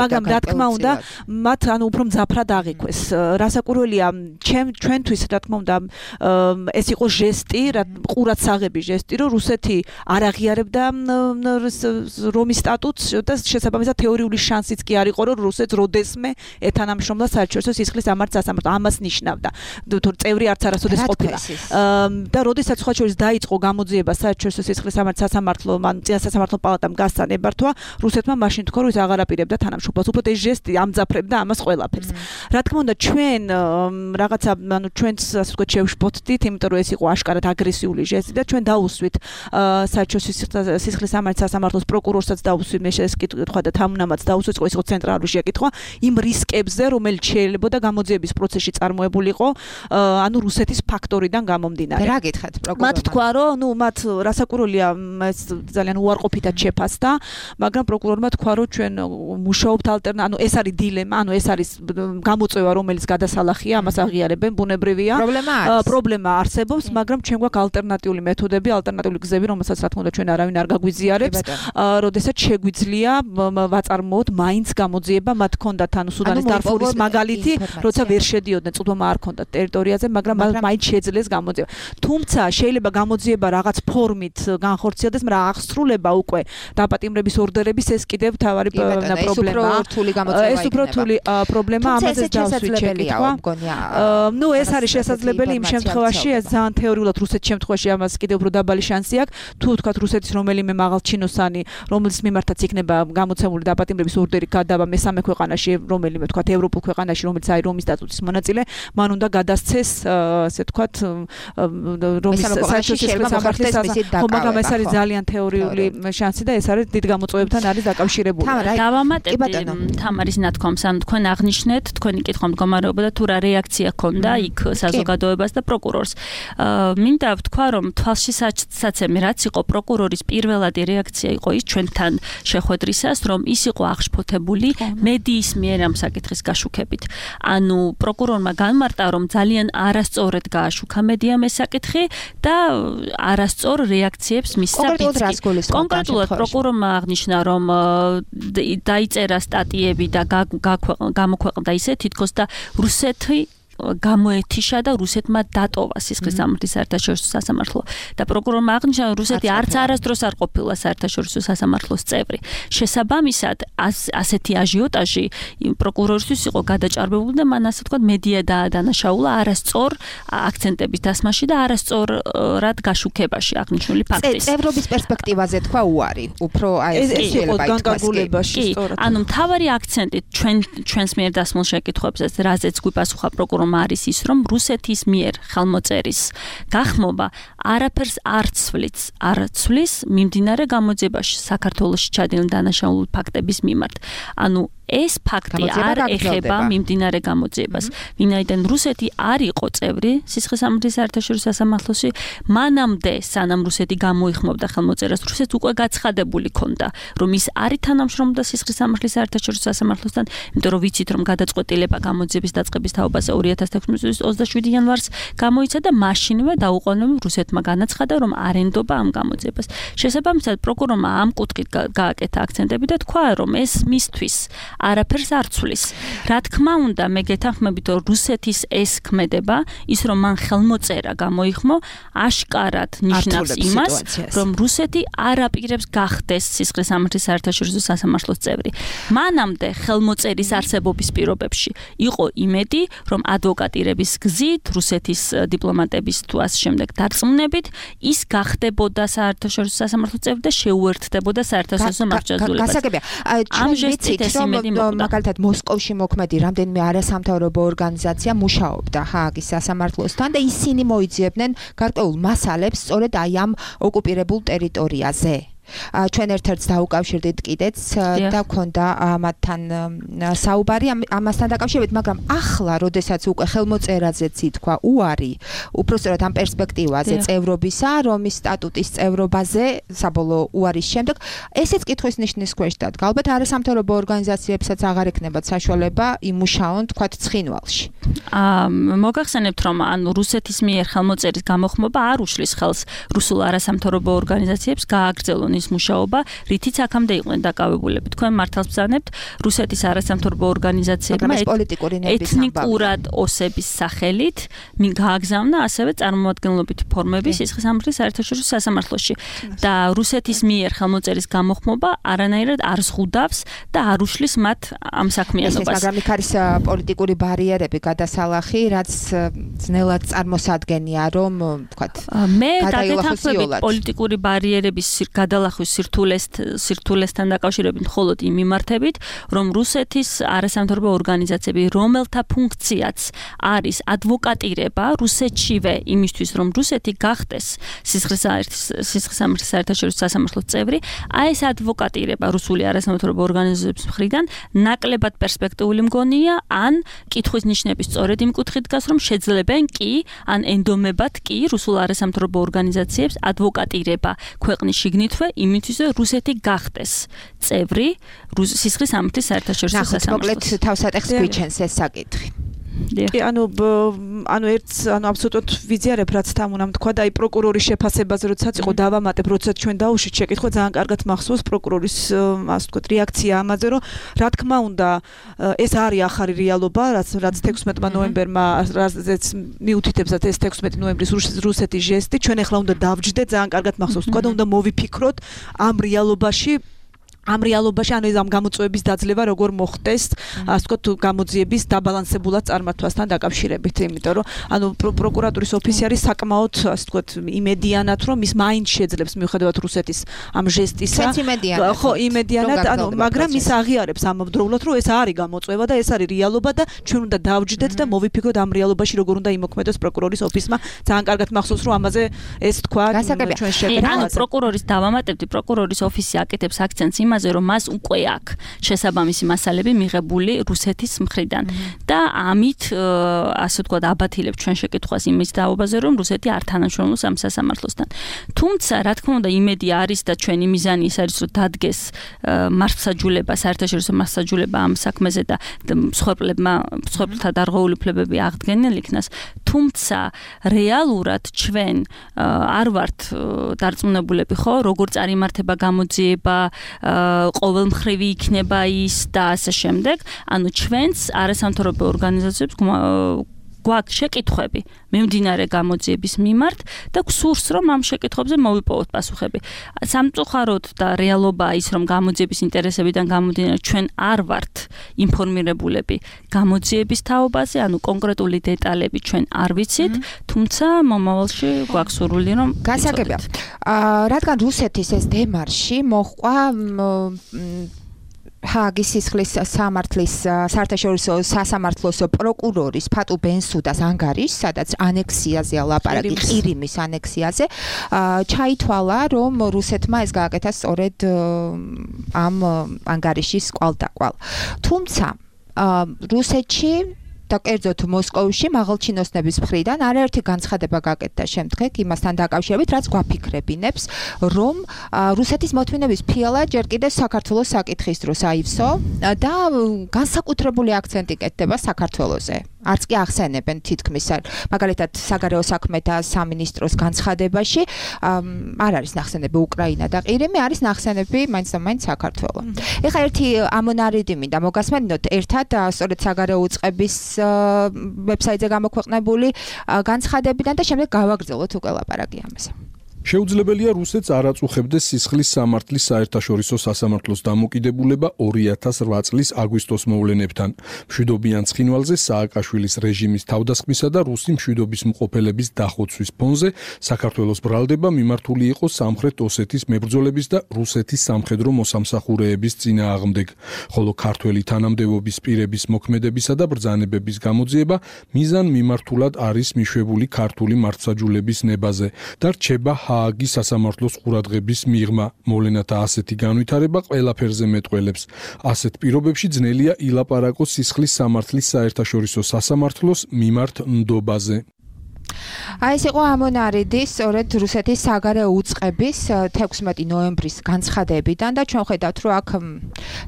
მაგრამ რა თქმა უნდა მათ ანუ უფრო მძაფრად აღიქვეს. რასაკვირველია, ჩვენთვის რა თქმა უნდა ეს იყო ჟესტი, ყურადსაღები ჟესტი, რომ რუსეთი არ აღიარებდა რომის სტატუტს და შესაბამისად თეორიული შანსიც კი არ იყო, რომ რუსეთს როდესმე ეთანამშრომლა საერთაშორისო სისხლის სამართლის სასამართლო. ამას ნიშნავდა. თუ წევრი არც არასოდეს ყოფილა. და როდესაც სხვა შორის დაიწყო გამოძიება საერთაშორისო სისხლის სამართლის სასამართლო, ან წინა სასამართლო პალატამ გასცა ნებართვა, რუსეთმა მაშინ თქვა, რომ ის აღარ აპირებდა თანამშრომლობას. უბრალოდ ეს ჟესტი ამძაფრებდა ამას ყველაფერს. რა თქმა უნდა, ჩვენ რაღაცა, ანუ ჩვენც ასე ვთქვათ, შევშფოთდით, იმიტომ რომ ეს იყო აშკარად აგრესიული ჟესტი და ჩვენ დაუსვით საერთაშორისო სისხლის სამართლის სასამართლოს პროკურორსაც დაუსვით, მე შეკითხვა და თანამაც დაუსვით, ეს იყო ცენტრალური შეკითხვა იმ რისკებზე, რომელიც შეიძლება და გამოძიების პროცესში წარმოებულიყო, ანუ რუსეთის ფაქტორიდან გამომდინარე. რა გითხათ პროკურორმა? მათ თქვა, რომ ნუ მათ რასაკვირველია, ეს ძალიან უარყოფითად შეფასდა, მაგრამ პროკურორმა თქვა, რომ ჩვენ მუშაობთ ალტერნატ, ანუ ეს არის დილემა, ანუ ეს არის გამოწვევა, რომელიც გადასალახია, ამას აღიარებენ, ბუნებრივია. პრობლემა არის. პრობლემა არსებობს, მაგრამ ჩვენ გვაქვს ალტერნატიული მეთოდები, ალტერნატიული გზები, რომელსაც რა თქმა უნდა ჩვენ არავინ არ გაგვიზიარებს, როდესაც შეგვიძლია ვაწარმოოთ მაინც გამოძიება, მათ ჰქონდათ ანუ სუდანის დარფურის მაგალითი, როცა ვერ შედიოდნენ, წვდომა არ ჰქონდათ ტერიტორიაზე, მაგრამ მაინც შეძლეს გამოძიება. თუმცა შეიძლება გამოძიება რაღაც ფორმით განხორციელდეს, მაგრამ აღსრულება უკვე დაპატიმრების ორდერების ეს კიდევ თავარი პრობლემაა. ეს უფრო რთული პრობლემა, ამაზე დავსვით შეკითხვა. ნუ ეს არის შესაძლებელი იმ შემთხვევაში, ეს ძალიან თეორიულად რუსეთის შემთხვევაში ამას კიდევ უფრო დაბალი შანსი აქვს. თუ თქვათ რუსეთის რომელიმე მაღალჩინოსანი, რომელიც მიმართაც იქნება გამოცემული დაპატიმრების ორდერი გადავა მესამე ქვეყანაში, რომელიმე თქვათ ევროპულ ქვეყანაში, რომელიც არის რომის სტატუტის მონაწილე, მან უნდა გადასცეს, ასე თქვათ, რომის საერთაშორისო სამართლის ხო, მაგრამ ეს არის ძალიან თეორიული შანსი და ეს არის დიდ გამოწვევებთან არის დაკავშირებული. დავამატებთ თამარის ნათქვამს, ანუ თქვენ აღნიშნეთ, თქვენი კითხვა მდგომარეობა და თუ რა რეაქცია ჰქონდა იქ საზოგადოებას და პროკურორს. მინდა ვთქვა, რომ თვალშისაცემი რაც იყო პროკურორის პირველადი რეაქცია იყო ის ჩვენთან შეხვედრისას, რომ ის იყო აღშფოთებული მედიის მიერ ამ საკითხის გაშუქებით. ანუ პროკურორმა განმარტა, რომ ძალიან არასწორად გააშუქა მედიამ ეს საკითხი და არასწორ რეაქციებს მისცა პიცკი. კონკრეტულად პროკურორმა აღნიშნა, რომ დაიწერა სტატიები და გამოქვეყნდა ისე თითქოს და რუსეთი გამოეთიშა და რუსეთმა დატოვა სისხლისამართლის საერთაშორისო სასამართლო და პროკურორმა აღნიშნა, რომ რუსეთი არც არასდროს არ ყოფილა საერთაშორისო სასამართლოს წევრი. შესაბამისად, ასეთი აჟიოტაჟი პროკურორისთვის იყო გადაჭარბებული და მან ასე ვთქვათ მედია დაადანაშაულა არასწორ აქცენტების დასმაში და არასწორად გაშუქებაში აღნიშნული ფაქტის. წევრობის პერსპექტივაზე თქვა უარი. უფრო აი ეს შეიძლება განკარგულებაში სწორად. ანუ მთავარი აქცენტი ჩვენ ჩვენს მიერ დასმულ შეკითხვებზე, რაზეც გვიპასუხა პროკურორმა არის ის, რომ რუსეთის მიერ ხელმოწერის გახმობა არაფერს არ ცვლის, არ ცვლის მიმდინარე გამოძიებაში საქართველოში ჩადენილი დანაშაული ფაქტების მიმართ. ანუ ეს ფაქტი არ ეხება მიმდინარე გამოძიებას. ვინაიდან რუსეთი არ იყო წევრი სისხლისამართლის საერთაშორისო სასამართლოში, მანამდე სანამ რუსეთი გამოიხმობდა ხელმოწერას, რუსეთს უკვე გაცხადებული ქონდა, რომ ის არ ითანამშრომლობდა სისხლისამართლის საერთაშორისო სასამართლოსთან, იმიტომ რომ ვიცით, რომ გადაწყვეტილება გამოძიების დაწყების თაობაზე ორი ათას თექვსმეტი წლის ოცდაშვიდი იანვარს გამოიცა და მაშინვე დაუყოვნებლივ რუსეთმა განაცხადა, რომ არ ენდობა ამ გამოძიებას. შესაბამისად, პროკურორმა ამ კუთხით გააკეთა აქცენტები და თქვა, რომ ეს მისთვის არაფერს არ ცვლის. რა თქმა უნდა, მე გეთანხმებით, რომ რუსეთის ეს ქმედება, ის რომ მან ხელმოწერა გამოიხმო, აშკარად ნიშნავს იმას, რომ რუსეთი არ აპირებს გახდეს სისხლისამართლის საერთაშორისო სასამართლოს წევრი. მანამდე ხელმოწერის არსებობის პირობებში იყო იმედი, რომ ადვოკატირების გზით, რუსეთის დიპლომატების თუ ამ შემდეგ დარწმუნებით, ის გახდებოდა საერთაშორისო სასამართლოს წევრი და შეუერთდებოდა საერთაშორისო მარჯვენებელს. გასაგებია, ამ ჟესტით ეს იმედი მაგალითად მოსკოვში მოქმედი რამდენიმე არასამთავრობო ორგანიზაცია მუშაობდა ჰააგის სასამართლოსთან და ისინი მოიძიებდნენ გარკვეულ მასალებს სწორედ აი ამ ოკუპირებულ ტერიტორიაზე. ჩვენ ერთ-ერთს დაუკავშირდით კიდეც და გქონდა მათთან საუბარი ამასთან დაკავშირებით, მაგრამ ახლა, როდესაც უკვე ხელმოწერაზეც ითქვა უარი, უпростоრად ამ პერსპექტივაზე წევრობისა, რომის სტატუტის წევრობაზე, საბოლოო უარის შემდეგ, ესეც კითხვის ნიშნის ქვეშ დადგა. ალბათ არასამთავრობო ორგანიზაციებსაც აღარ ექნებათ საშუალება იმუშაონ, თქვათ, ცხინვალში. მოგახსენებთ, რომ ანუ რუსეთის მიერ ხელმოწერის გამოხმობა არ უშლის ხელს რუსულ არასამთავრობო ორგანიზაციებს გააგრძელონ ის მუშაობა, რითიც აქამდე იყვნენ დაკავებულები. თქვენ მართალს ბრძანებთ, რუსეთის არასამთავრობო ორგანიზაციებმა ეთნიკურად ოსების სახელით მინ გააგზავნა ასევე წარმომადგენლობითი ფორმები სისხლისამართლის საერთაშორისო სასამართლოში და რუსეთის მიერ ხელმოწერის გამოხმობა არანაირად არ ზღუდავს და არ უშლის მათ ამ საქმიანობას. მაგრამ იქ არის პოლიტიკური ბარიერები, გადასალახი, რაც ძნელად წარმოსადგენია, რომ ვთქვათ, მე გაგეთანხმებით პოლიტიკური ბარიერების გადალახვის სირთულესთან დაკავშირებით მხოლოდ იმ მიმართებით, რომ რუსეთის არასამთავრობო ორგანიზაციები, რომელთა ფუნქციაც არის ადვოკატირება რუსეთშივე იმისთვის, რომ რუსეთი გახდეს სისხლისამართლის საერთაშორისო სასამართლოს წევრი, აი ეს ადვოკატირება რუსული არასამთავრობო ორგანიზაციების მხრიდან ნაკლებად პერსპექტიული მგონია, ან კითხვის ნიშნების სწორედ იმ კუთხით დგას, რომ შეძლებენ კი, ან ენდომებად კი რუსულ არასამთავრობო ორგანიზაციებს ადვოკატირება ქვეყნის შიგნითვე იმისთვის, რომ რუსეთი გახდეს წევრი სისხლისამართლის საერთაშორისო სასამართლოს. მოკლედ თავსატეხს გვიჩენს ეს საკითხი. კი, ანუ ანუ ერთ ანუ აბსოლუტურად ვიზიარებ, რაც თან უნდა თქვა და აი პროკურორის შეფასებაზე როდესაც იყო დავამატებ, როდესაც ჩვენ დაუშვით შეკითხვა, ძალიან კარგად მახსოვს პროკურორის ასე ვთქვათ რეაქცია ამაზე, რომ რა თქმა უნდა ეს არის ახალი რეალობა, რაც რაც თექვსმეტმა ნოემბერმა რაზეც მიუთითებსათ ეს თექვსმეტი ნოემბრის რუსეთის ჟესტი, ჩვენ ახლა უნდა დავჯდეთ, ძალიან კარგად მახსოვს თქვა და უნდა მოვიფიქროთ ამ რეალობაში ამ რეალობაში ანუ ეს ამ გამოწვევების დაძლევა როგორ მოხდეს, ასე ვთქვათ, გამოძიების დაბალანსებულად წარმართვასთან დაკავშირებით, იმიტომ რომ ანუ პროკურატურის ოფისი არის საკმაოდ, ასე ვთქვათ, იმედიანად, რომ ის მაინც შეძლებს მიუხედავად რუსეთის ამ ჟესტისა. ხო, იმედიანად, ანუ მაგრამ ის აღიარებს ამავდროულად, რომ ეს არის გამოწვევა და ეს არის რეალობა და ჩვენ უნდა დავჯდეთ და მოვიფიქროთ ამ რეალობაში როგორ უნდა იმოქმედოს პროკურორის ოფისმა. ძალიან კარგად მახსოვს, რომ ამაზე ეს თქვა ჩვენ შეკითხავთ. პროკურორის დავამატებდი, პროკურორის ოფისი აკეთებს აქცენტს იმაზე, რომ მას უკვე აქვს შესაბამისი მასალები მიღებული რუსეთის მხრიდან და ამით ასე ვთქვათ აბათილებს ჩვენ შეკითხვას იმის დაობაზე, რომ რუსეთი არ თანამშრომლობს ამ სასამართლოსთან. თუმცა, რა თქმა უნდა, იმედი არის და ჩვენი მიზანი ის არის, რომ დადგეს მართლმსაჯულება, საერთაშორისო მართლმსაჯულება ამ საქმეზე და მსხვერპლებმა მსხვერპლთა დარღვეული უფლებები აღდგენილ იქნას. თუმცა, რეალურად ჩვენ არ ვართ დარწმუნებულები, ხო, როგორ წარიმართება გამოძიება, ყოველმხრივი იქნება ის და ასე შემდეგ. ანუ ჩვენს არასამთავრობო ორგანიზაციებს გვაქვს შეკითხვები მიმდინარე გამოძიების მიმართ და გვსურს რომ ამ შეკითხვებზე მოვიპოვოთ პასუხები. სამწუხაროდ და რეალობაა ის რომ გამოძიების ინტერესებიდან გამომდინარე ჩვენ არ ვართ ინფორმირებულები გამოძიების თაობაზე, ანუ კონკრეტული დეტალები ჩვენ არ ვიცით, თუმცა მომავალში გვაქვს სურვილი რომ გასაგებია. რადგან რუსეთის ეს დემარში მოჰყვა ჰააგის სისხლის სამართლის საერთაშორისო სასამართლოს პროკურორის ფატუ ბენსუდას ანგარიშს, სადაც ანექსიაზეა ლაპარაკი, ყირიმის ანექსიაზე, ჩაითვალა, რომ რუსეთმა ეს გააკეთა სწორედ ამ ანგარიშის კვალდაკვალ. თუმცა რუსეთში და კერძოდ მოსკოვში მაღალჩინოსნების მხრიდან არაერთი განცხადება გაკეთდა შემდგომ იმასთან დაკავშირებით, რაც გვაფიქრებინებს, რომ რუსეთის მოთმინების ფილა ჯერ კიდევ საქართველოს საკითხის დროს აივსო და განსაკუთრებული აქცენტი კეთდება საქართველოზე. არც კი ახსენებენ თითქმის, მაგალითად, საგარეო საქმეთა სამინისტროს განცხადებაში არ არის ნახსენები უკრაინა და ყირიმი, არის ნახსენები მაინც და მაინც საქართველო. ეხლა ერთი ამონარიდი მინდა მოგასმენინოთ ერთად სწორედ საგარეო უწყების ვებსაიტზე გამოქვეყნებული განცხადებიდან და შემდეგ გავაგრძელოთ უკვე ლაპარაკი ამაზე. შეუძლებელია რუსეთს არ აწუხებდეს სისხლის სამართლის საერთაშორისო სასამართლოს დამოკიდებულება ორი ათას რვა წლის აგვისტოს მოვლენებთან. მშვიდობიან ცხინვალზე სააკაშვილის რეჟიმის თავდასხმისა და რუსი მშვიდობის მყოფელების დახოცვის ფონზე საქართველოს ბრალდება მიმართული იყო სამხრეთ ოსეთის მებრძოლების და რუსეთის სამხედრო მოსამსახურეების წინააღმდეგ, ხოლო ქართველი თანამდებობის პირების მოქმედებისა და ბრძანებების გამოძიება მიზან მიმართულად არის მიშვებული ქართული მართლმსაჯულების ნებაზე და რჩება ჰააგის სასამართლოს ყურადღების მიღმა. მოვლენათა ასეთი განვითარება ყველაფერზე მეტყველებს. ასეთ პირობებში ძნელია ილაპარაკოს სისხლის სამართლის საერთაშორისო სასამართლოს მიმართ ნდობაზე. აი ეს იყო ამონარიდი სწორედ რუსეთის საგარეო უწყების თექვსმეტი ნოემბრის განცხადებიდან და ჩვენ ხედავთ რომ აქ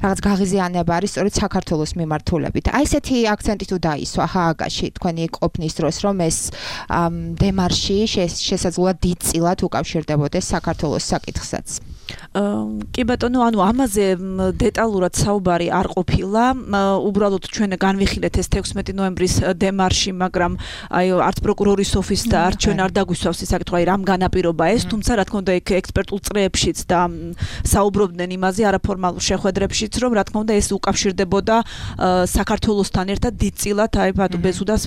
რაღაც გაღიზიანება არის სწორედ საქართველოს მიმართულებით. აი ესეთი აქცენტი თუ დაისვა ჰააგაში თქვენი ყოფნის დროს რომ ეს დემარში შესაძლოა დიდწილად უკავშირდებოდეს საქართველოს საკითხსაც. კი ბატონო, ანუ ამაზე დეტალურად საუბარი არ ყოფილა. უბრალოდ ჩვენ განვიხილეთ ეს თექვსმეტი ნოემბრის დემარში, მაგრამ აი არც პროკურორის ოფისს და არც ჩვენ არ დაგვისვავს ის საკითხი, აი რამ განაპირობა ეს, თუმცა რა თქმა უნდა ეგ ექსპერტულ წრეებშიც და საუბრობდნენ იმაზე არაფორმალურ შეხვედრებშიც, რომ რა თქმა უნდა ეს უკავშირდებოდა საქართველოსთან ერთად დიდწილად აი ფატუ ბენსუდას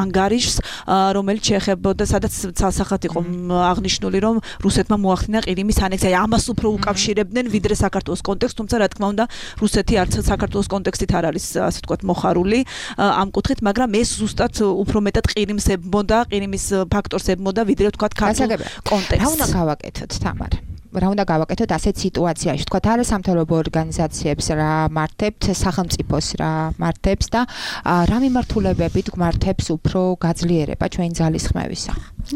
ანგარიშს, რომელიც შეეხებოდა, სადაც ცალსახად იყო აღნიშნული, რომ რუსეთმა მოახდინა ყირიმის ანექსია. ამას უფრო უკავშირებდნენ ვიდრე საქართველოს კონტექსტს, თუმცა რა თქმა უნდა რუსეთი არც საქართველოს კონტექსტით არ არის ასე ვთქვათ მოხარული ამ კუთხით, მაგრამ ეს ზუსტად უფრო მეტად ყირიმს ებმოდა, ყირიმის ფაქტორს ებმოდა ვიდრე ვთქვათ ქართულ კონტექსტს. რა უნდა გავაკეთოთ, თამარ? რა უნდა გავაკეთოთ ასეთ სიტუაციაში? ვთქვათ, არასამთავრობო ორგანიზაციებს რა მართებთ, სახელმწიფოს რა მართებს და რა მიმართულებებით გვმართებს უფრო გაძლიერება ჩვენი ძალისხმევისა?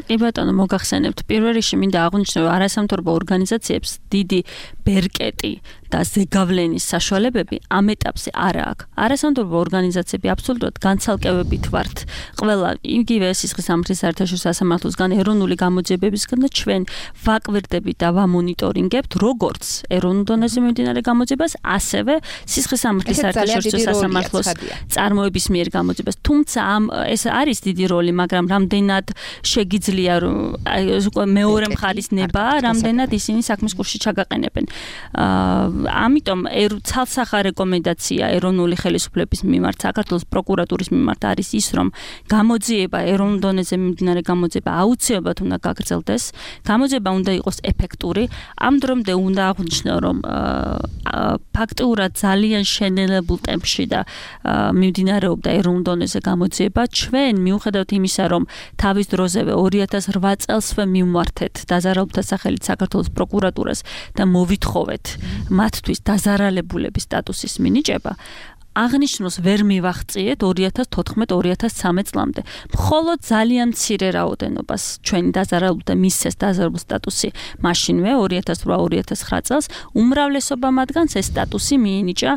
კი ბატონო, მოგახსენებთ, პირველ რიგში მინდა აღვნიშნო, არასამთავრობო ორგანიზაციებს დიდი ბერკეტი და ზეგავლენის საშუალებები ამ ეტაპზე არ აქვს. არასამთავრობო ორგანიზაციები აბსოლუტურად განცალკევებით ვართ. ყველა იგივე სისხლის სამართლის საერთაშორისო სასამართლოსგან, ეროვნული გამოძიებებისგან და ჩვენ ვაკვირდებით და ვამონიტორინგებთ როგორც ეროვნულ დონეზე მიმდინარე გამოძიებას, ასევე სისხლის სამართლის საერთაშორისო სასამართლოს წარმოების მიერ გამოძიებას. თუმცა ამ ეს არის დიდი როლი, მაგრამ რამდენად შეგიძლია რომ მეორე მხარის ნება, რამდენად ისინი საქმის კურსში ჩაგაყენებენ. ამიტომ ცალსახა რეკომენდაცია ეროვნული ხელისუფლების მიმართ, საქართველოს პროკურატურის მიმართ არის ის, რომ გამოძიება ეროვნულ დონეზე მიმდინარე გამოძიება აუცილებლად უნდა გაგრძელდეს. გამოძიება უნდა იყოს ეფექტური. ამ დრომდე უნდა აღვნიშნო, რომ ფაქტიურად ძალიან შენელებულ ტემპში და მიმდინარეობდა ეროვნულ დონეზე გამოძიება. ჩვენ მიუხედავად იმისა, რომ თავის დროზევე ორი ათას რვა წელსვე მივმართეთ დაზარალებულთა სახელით საქართველოს პროკურატურას და მოვითხოვეთ მათთვის დაზარალებულების სტატუსის მინიჭება, აღნიშნულს ვერ მივახციეთ ორი ათას თოთხმეტ ორი ათას ცხრამეტ წლამდე. მხოლოდ ძალიან მცირე რაოდენობას ჩვენი დაზარალებულთა მისცეს დაზარალებული სტატუსი მაშინვე ორი ათას რვა ორი ათას ცხრა წელს, უმრავლესობა მათგანს ეს სტატუსი მიენიჭა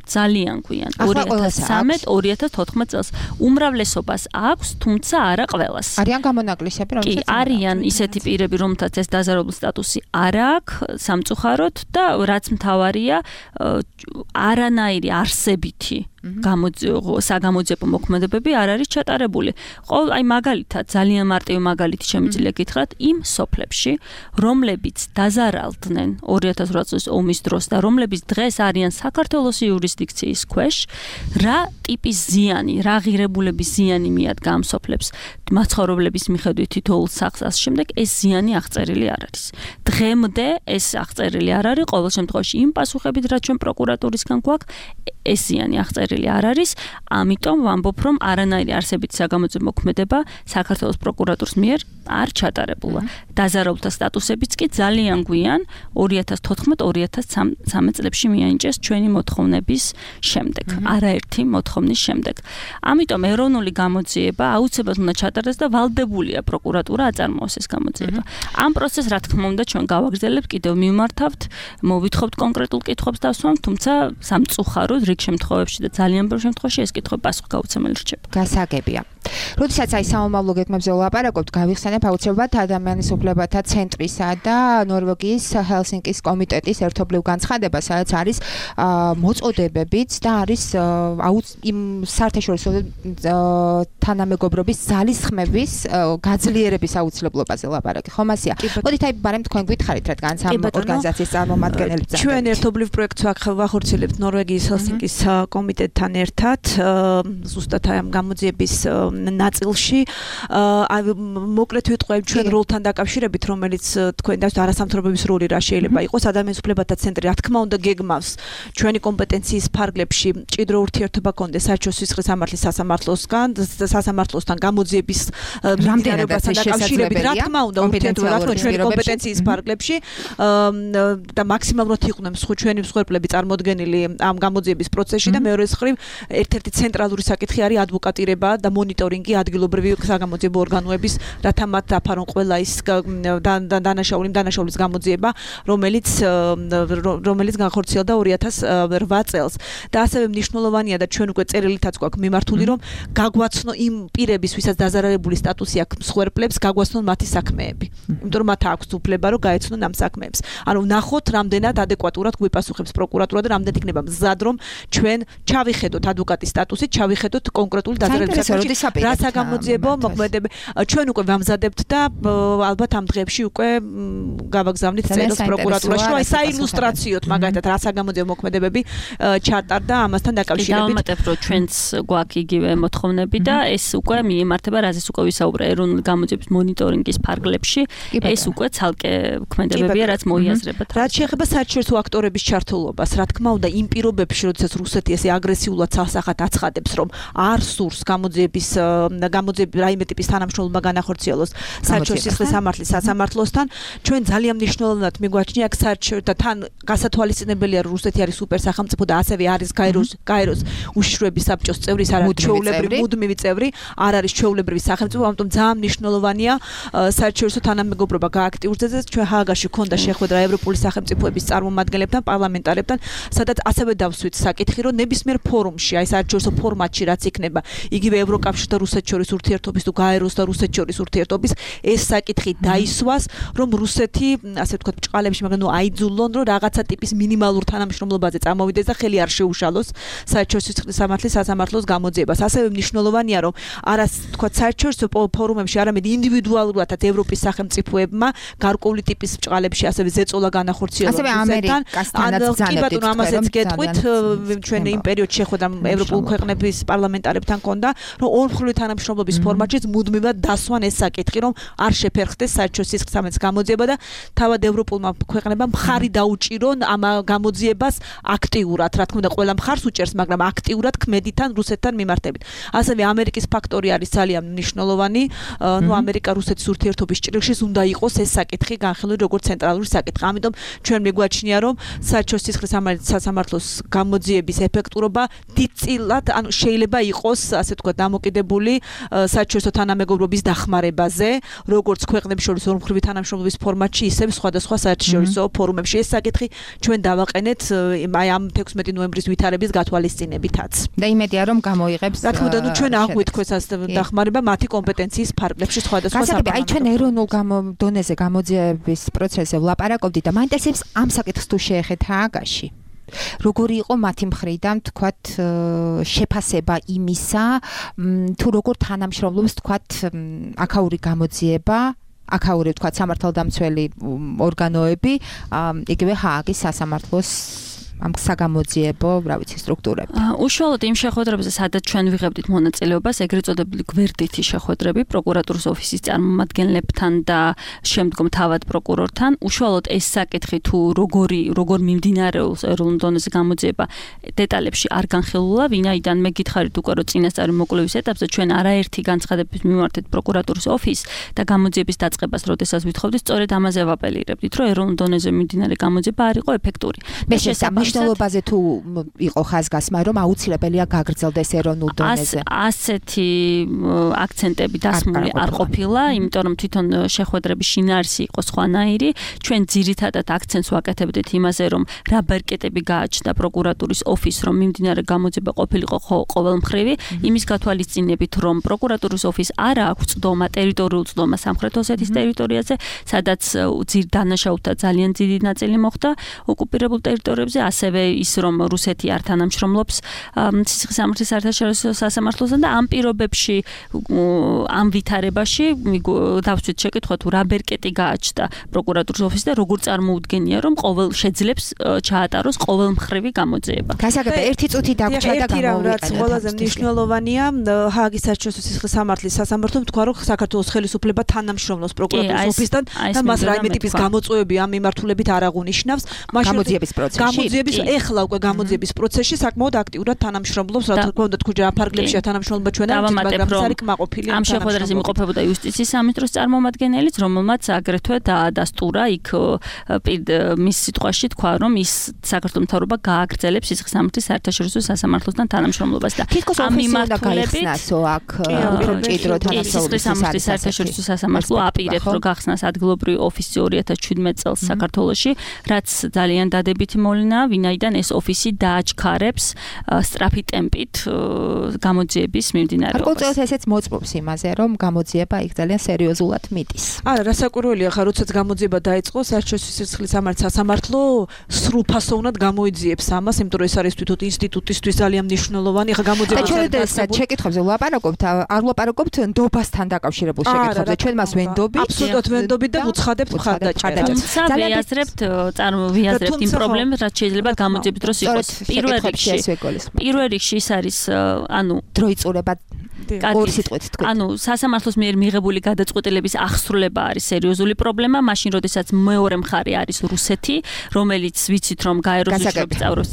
ძალიან გვიან ორი ათას ცხრამეტ ორი ათას თოთხმეტ წელს. უმრავლესობას აქვს, თუმცა არა ყველას. არიან გამონაკლისები, რომელსაც კი არიან ისეთი პირები, რომელთაც ეს დაზარალებული სტატუსი არ აქვს სამწუხაროდ და რაც მთავარია არანაირი არსებითი საგამოძიებო მოქმედებები არ არის ჩატარებული. ყოველ აი მაგალითად ძალიან მარტივი მაგალითი შემიძლია გითხრათ იმ სოფლებში, რომლებიც დაზარალდნენ ორი ათას ოთხ წლის ომის დროს და რომლებიც დღეს არიან საქართველოს იურისდიქციის ქვეშ, რა ტიპის ზიანი, რა ღირებულების ზიანი მიადგა ამ სოფლებს მაცხოვრებლების მიხედვით თითოეულ სახლს ამ შემდეგ ეს ზიანი აღწერილი არ არის. დღემდე ეს აღწერილი არ არის, ყოველ შემთხვევაში იმ პასუხებით, რაც ჩვენ პროკურატურისგან გვაქვს, ეს ზიანი აღწერილი არ არის, ამიტომ ვამბობ, რომ არანაირი არსებითი საგამოძიებო მოქმედება საქართველოს პროკურატურის მიერ არ ჩატარებულა. დაზარალთა სტატუსებიც კი ძალიან გვიან ორი ათას თოთხმეტ ორი ათას ცხრამეტ წლებში მიანიჭეს ჩვენი მოთხოვნების შემდეგ, არაერთი მოთხოვნის შემდეგ. ამიტომ ეროვნული გამოძიება აუცილებლად უნდა ჩატარდეს და ვალდებულია პროკურატურა აწარმოოს ეს გამოძიება. ამ პროცესს რა თქმა უნდა ჩვენ გავაგრძელებთ, კიდევ მივმართავთ, მოვითხოვთ კონკრეტულ კითხვებს დავსვამ, თუმცა სამწუხაროდ რიგ შემთხვევებში და ძალიან ბევრ შემთხვევაში ეს კითხვები პასუხგაუცემელი რჩება. გასაგებია. როდესაც აი სამომავლო გეგმებზე ვლაპარაკობთ, გავიხსენებ აუცილებლად ადამიანის უფლებათა ცენტრისა და ნორვეგიის ჰელსინკის კომიტეტის ერთობლივ განცხადებას, სადაც არის მოწოდებებიც და არის იმ საერთაშორისო თანამეგობრობის ძალისხმევის გაძლიერების აუცილებლობაზე ლაპარაკი. ხომ ასია? მოდით აი ბარემ თქვენ გითხარით, რადგან ამ ორგანიზაციის წარმომადგენელი ვართ. ჩვენ ერთობლივ პროექტს ვახორციელებთ ნორვეგიის ჰელსინკის კომიტეტთან ერთად, ზუსტად ამ გამოძიების ნაწილში. მოკლედ ვიტყვი ჩვენ როლთან დაკავშირებით, რომელიც თქვენ და არასამთავრობების როლი რა შეიძლება იყოს, ადამიანის უფლებათა ცენტრი რა თქმა უნდა გეგმავს ჩვენი კომპეტენციის ფარგლებში მჭიდრო ურთიერთობა კონდეს საერთაშორისო სისხლის სამართლის სასამართლოსგან, სასამართლოსთან გამოძიების რამდენადაც დაკავშირებით, რა თქმა უნდა ურთიერთობა რა თქმა უნდა ჩვენი კომპეტენციის ფარგლებში და მაქსიმალურად იყვნენ ჩვენი მსხვერპლები წარმოდგენილი ამ გამოძიების პროცესში და მეორე მხრივ ერთ-ერთი ცენტრალური საკითხი არის ადვოკატირება და მონიტორინგი ადგილობრივი საგამოძიებო ორგანოების, რათა მათ დაფარონ ყველა ის დანაშაული დანაშაულის გამოძიება, რომელიც რომელიც განხორციელდა ორი ათას ოთხ წელს. და ასევე მნიშვნელოვანია და ჩვენ უკვე წერილითაც გვაქვს მიმართული, რომ გაგვაცნო იმ პირების, ვისაც დაზარალებული სტატუსი აქვს მსხვერპლებს, გაგვაცნონ მათი საქმეები. იმიტომ რომ მათ აქვს უფლება, რომ გაეცნონ ამ საქმეებს. ანუ ნახოთ, რამდენად ადეკვატურად გვიპასუხებს პროკურატურა და რამდენად იქნება მზად, რომ ჩვენ ჩავიხედოთ ადვოკატის სტატუსით, ჩავიხედოთ კონკრეტული დაზარალების საკითხი. რა საგამოძიებო მოქმედება ჩვენ უკვე ვამზადებთ და ალბათ ამ დღეებში უკვე გავაგზავნით წერილს პროკურატურაში, რომ აი საილუსტრაციოდ მაგალითად რა საგამოძიებო მოქმედებები ჩატარდა ამასთან დაკავშირებით. დავამატებ, რომ ჩვენც გვაქვს იგივე მოთხოვნები და ეს უკვე მიემართება, რაზეც უკვე ვისაუბრე ეროვნული გამოძიების მონიტორინგის ფარგლებში, ეს უკვე ცალკე მოქმედებებია, რაც მოიაზრებათ. რაც შეეხება საერთაშორისო აქტორების ჩართულობას, რა თქმა უნდა, იმ პირობებში, როდესაც რუსეთი ესე აგრესიულად სასახად აცხადებს, რომ არ სურს გამოძიების გამოძიების რაიმე ტიპის თანამშრომლობა განახორციელოს საერთაშორისო სისხლის სამართლის სასამართლოსთან, ჩვენ ძალიან მნიშვნელოვნად მიგვაჩნია აქ საერთაშორისო და თან გასათვალისწინებელია, რომ რუსეთი არის სუპერ სახელმწიფო და ასევე არის გაეროს გაეროს უშიშროების საბჭოს წევრი, ის არ არის ჩვეულებრივი მუდმივი წევრი, არ არის ჩვეულებრივი სახელმწიფო, ამიტომ ძალიან მნიშვნელოვანია საერთაშორისო თანამეგობრობა გააქტიურდეს. ჩვენ ჰააგაში ქონდა შეხვედრა ევროპული სახელმწიფოების წარმომადგენლებთან, პარლამენტარებთან, სადაც ასევე დავსვით საკითხი, რომ ნებისმიერ ფორუმში, აი საერთაშორისო ფორმატში რაც იქნება, იგივე ევროკავშირ და რუსეთს შორის ურთიერთობის თუ გაეროს და რუსეთს შორის ურთიერთობის ეს საკითხი დაისვას, რომ რუსეთი, ასე ვთქვათ, ბჭყალებში, მაგრამ ნუ აიძულონ, რომ რაღაცა ტიპის მინიმალურ თანამშრომლობაზე წამოვიდეს და ხელი არ შეუშალოს საერთაშორისო სისხლის სამართლის სასამართლოს გამოძიებას. ასევე მნიშვნელოვანია, რომ არა ვთქვათ, საერთაშორისო ფორუმებში, არამედ ინდივიდუალურადაც ევროპის სახელმწიფოებმა გარკვეული ტიპის ბჭყალებში ასევე ზეწოლა განახორციელოს. ასევე ამერიკასთანაც კი ბატონო, ამასაც გეტყვით, ჩვენ იმ პერიოდში შეხვედრა ევროპულ ქვეყნების პარლამენტარებთან ქონდა, რომ ორმხრივი თანამშრომლობის ფორმატშიც მუდმივად დასვან ეს საკითხი, რომ არ შეფერხდეს საერთაშორისო სისხლის სამართლის გამოძიება და თავად ევროპულმა ქვეყნებამ მხარი დაუჭირონ ამ გამოძიებას აქტიურად. რა თქმა უნდა, ყველა მხარს უჭერს, მაგრამ აქტიურად ქმედითან რუსეთთან მიმართებით. ასევე ამერიკის ფაქტორი არის ძალიან მნიშვნელოვანი. ნუ ამერიკა რუსეთის ურთიერთობის ჭრილში უნდა იყოს ეს საკითხი განხილული როგორც ცენტრალური საკითხი. ამიტომ ჩვენ მიგვაჩნია, რომ საერთაშორისო სისხლის სასამართლოს გამოძიების ეფექტურობა დიდწილად, ანუ შეიძლება იყოს, ასე ვთქვათ, დამოკიდებული საერთაშორისო თანამეგობრობის დახმარებაზე, როგორც ქვეყნებს შორის ორმხრივი თანამშრომლობის ფორმატში, ისე სხვადასხვა საერთაშორისო ფორუმებში. ეს საკითხი ჩვენ დავაყენეთ აი ამ თექვსმეტი ნოემბრის ვითარების გათვალისწინებითაც. და იმედია, რომ გამოიღებს. რა თქმა უნდა, ნუ ჩვენ აღვითქვეს ასე დახმარება მათი კომპეტენციის ფარგლებში სხვადასხვა საკითხი. აი ჩვენ ეროვნულ დონეზე გამოძიების პროცესზე ვლაპარაკობდით და მაინტერესებს ამ საკითხს თუ შეეხეთ ჰააგაში. როგორი იყო მათი მხრიდან, თქვათ, შეფასება იმისა, თუ როგორ თანამშრომლობს, თქვათ, აქაური გამოძიება, აქაური, თქვათ, სამართალდამცველი ორგანოები, იგივე ჰააგის სასამართლოს ამ საგამოძიებო, რა ვიცი, სტრუქტურები. უშუალოდ იმ შეხვედრებზე, სადაც ჩვენ ვიღებდით მონაწილეობას, ეგრეთ წოდებული გვერდითი შეხვედრები პროკურატურის ოფისის წარმომადგენლებთან და შემდგომ თავად პროკურორთან, უშუალოდ ეს საკითხი თუ როგორი, როგორ მიმდინარეობს ეროვნულ დონეზე გამოძიება, დეტალებში არ განხილულა, ვინაიდან მე გითხარით უკვე, რომ წინასწარი მოკვლევის ეტაპზე ჩვენ არაერთი განცხადებით მივმართეთ პროკურატურის ოფისს და გამოძიების დაწყებას, როდესაც ვითხოვდით, სწორედ ამაზე ვაპელირებდით, რომ ეროვნულ დონეზე მიმდინარე გამოძიება არ იყო ეფექტური. მე მნიშვნელობაზე თუ იყო ხაზგასმა, რომ აუცილებელია გაგრძელდეს ეროვნულ დონეზე. ასეთი აქცენტები დასმული არ ყოფილა, იმიტომ რომ თვითონ შეხვედრების შინაარსი იყო სხვანაირი. ჩვენ ძირითადად აქცენტს ვაკეთებდით იმაზე, რომ რა ბერკეტები გააჩნდა პროკურატურის ოფისს, რომ მიმდინარე გამოძიება ყოფილიყო ყოველმხრივი, იმის გათვალისწინებით, რომ პროკურატურის ოფისს არ აქვს წდომა, ტერიტორიულ წდომა სამხრეთ ოსეთის ტერიტორიაზე, სადაც ძირ დანაშაულთა ძალიან დიდი ნაწილი მოხდა ოკუპირებულ ტერიტორიებზე, ასევე ის რომ რუსეთი არ თანამშრომლობს ციხესიმაგრის საერთაშორისო სასამართლოსთან და ამ პირობებში ამ ვითარებაში დავსვით შეკითხვა თუ რა ბერკეტი გააჩნდა პროკურატურის ოფისს და როგორ წარმოუდგენია რომ ყოველ შეძლებს ჩაატაროს ყოველმხრივი გამოძიება. გასაგებია ერთი წუთი დაგვრჩა და გამოვიყენე. რაც ყველაზე მნიშვნელოვანია ჰააგის საერთაშორისო ციხესიმაგრის სასამართლომ თქვა რომ საქართველოს ხელისუფლება თანამშრომლობს პროკურატურის ოფისთან და მას რაიმე ტიპის გამოწვევები ამ მიმართულებით არ აღუნიშნავს. გამოძიების პროცესში გამოძიების ეხლა უკვე გამოძიების პროცესში საკმაოდ აქტიურად თანამშრომლობს, რა თქმა უნდა, თქვა ფარგლებშია თანამშრომლობა ჩვენ არ ვიცით, მაგრამ ეს არის კმაყოფილი ამ შეხვედრაზე იმყოფებოდა იუსტიციის სამინისტროს წარმომადგენელიც, რომელმაც აგრეთვე დაადასტურა იქ მის სიტყვაში თქვა, რომ ის საქართველოს მთავრობა გააგრძელებს ციხესიმაგრის საერთაშორისო სასამართლოსთან თანამშრომლობას და ამ მიმართულებითო აქ უფრო მჭიდრო თანამშრომლობის საერთაშორისო სასამართლო აპირებს რომ გახსნას ადგილობრივი ოფისი ორი ათას შვიდმეტ წელს საქართველოში, რაც ძალიან დადებითი მოვლენაა, ვინაიდან ეს ოფისი დააჩქარებს სწრაფი ტემპით გამოძიების მიმდინარეობას. გარკვეულწილად ესეც მოწმობს იმაზე, რომ გამოძიება იქ ძალიან სერიოზულად მიტის. არა, რასაკვირველია, ხა როდესაც გამოძიება დაიწყო, საერთაშორისო ციხესიმაგრის სასამართლო სრულფასოვნად გამოიძიებს ამას, იმიტომ რომ ეს არის თვითონ ინსტიტუტისთვის ძალიან მნიშვნელოვანი. ხა გამოძიება და ჩვენ ეს შეკითხვებზე ვლაპარაკობთ, არ ვლაპარაკობთ ნდობასთან დაკავშირებულ შეკითხვებზე. ჩვენ მას ვენდობთ, აბსოლუტურად ვენდობთ და ვუცხადებთ მხარდაჭერას. თუმცა ვიაზრებთ, წარმოვიაზრებთ იმ პრობლემებს, რაც შეიძლება გამოძიების დროს იყოს. პირველ რიგში პირველ რიგში ის არის, ანუ დროიწურება ორი სიტყვით თქვი. ანუ სასამართლოს მიერ მიღებული გადაწყვეტილების აღსრულება არის სერიოზული პრობლემა, მაშინ როდესაც მეორე მხარე არის რუსეთი, რომელიც ვიცით რომ გაეროსიშრობის წავროს.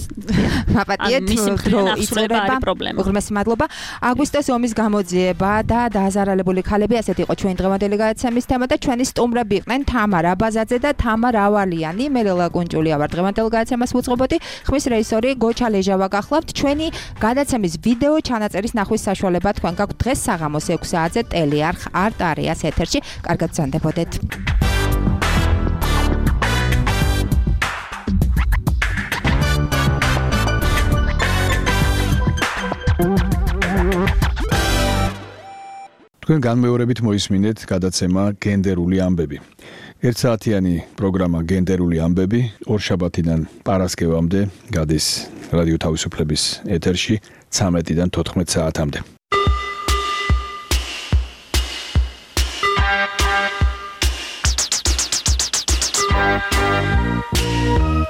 მაპატიეთ, დროიწურება პრობლემა. უღრმესი მადლობა. აგვისტოს ომის გამოძიება და დააზარალებული ქალები, ასეთი იყო ჩვენი დღევანდელი გადაცემის თემა და ჩვენი სტუმრები იყვნენ თამარ აბაზაძე და თამარ ავალიანი. მე ლელა კუნჭულია ვარ დღევანდელ გადაცემას ვუწყობოდი. ხმის რეჟისორი გოჩა ლეჟავა გახლავთ. ჩვენი გადაცემის ვიდეო ჩანაწერის ნახვის საშუალება თქვენ გაქვთ დღეს საღამოს ექვს საათზე ტელეარხ არტ არეას ეთერში. კარგად გრძანდებოდეთ. თქვენ განმეორებით მოისმინეთ გადაცემა გენდერული ამბები. ერთსაათიანი პროგრამა გენდერული ამბები ორშაბათიდან პარასკევამდე გადის რადიო თავისუფლების ეთერში ცამეტიდან თოთხმეტ საათამდე. Thank you.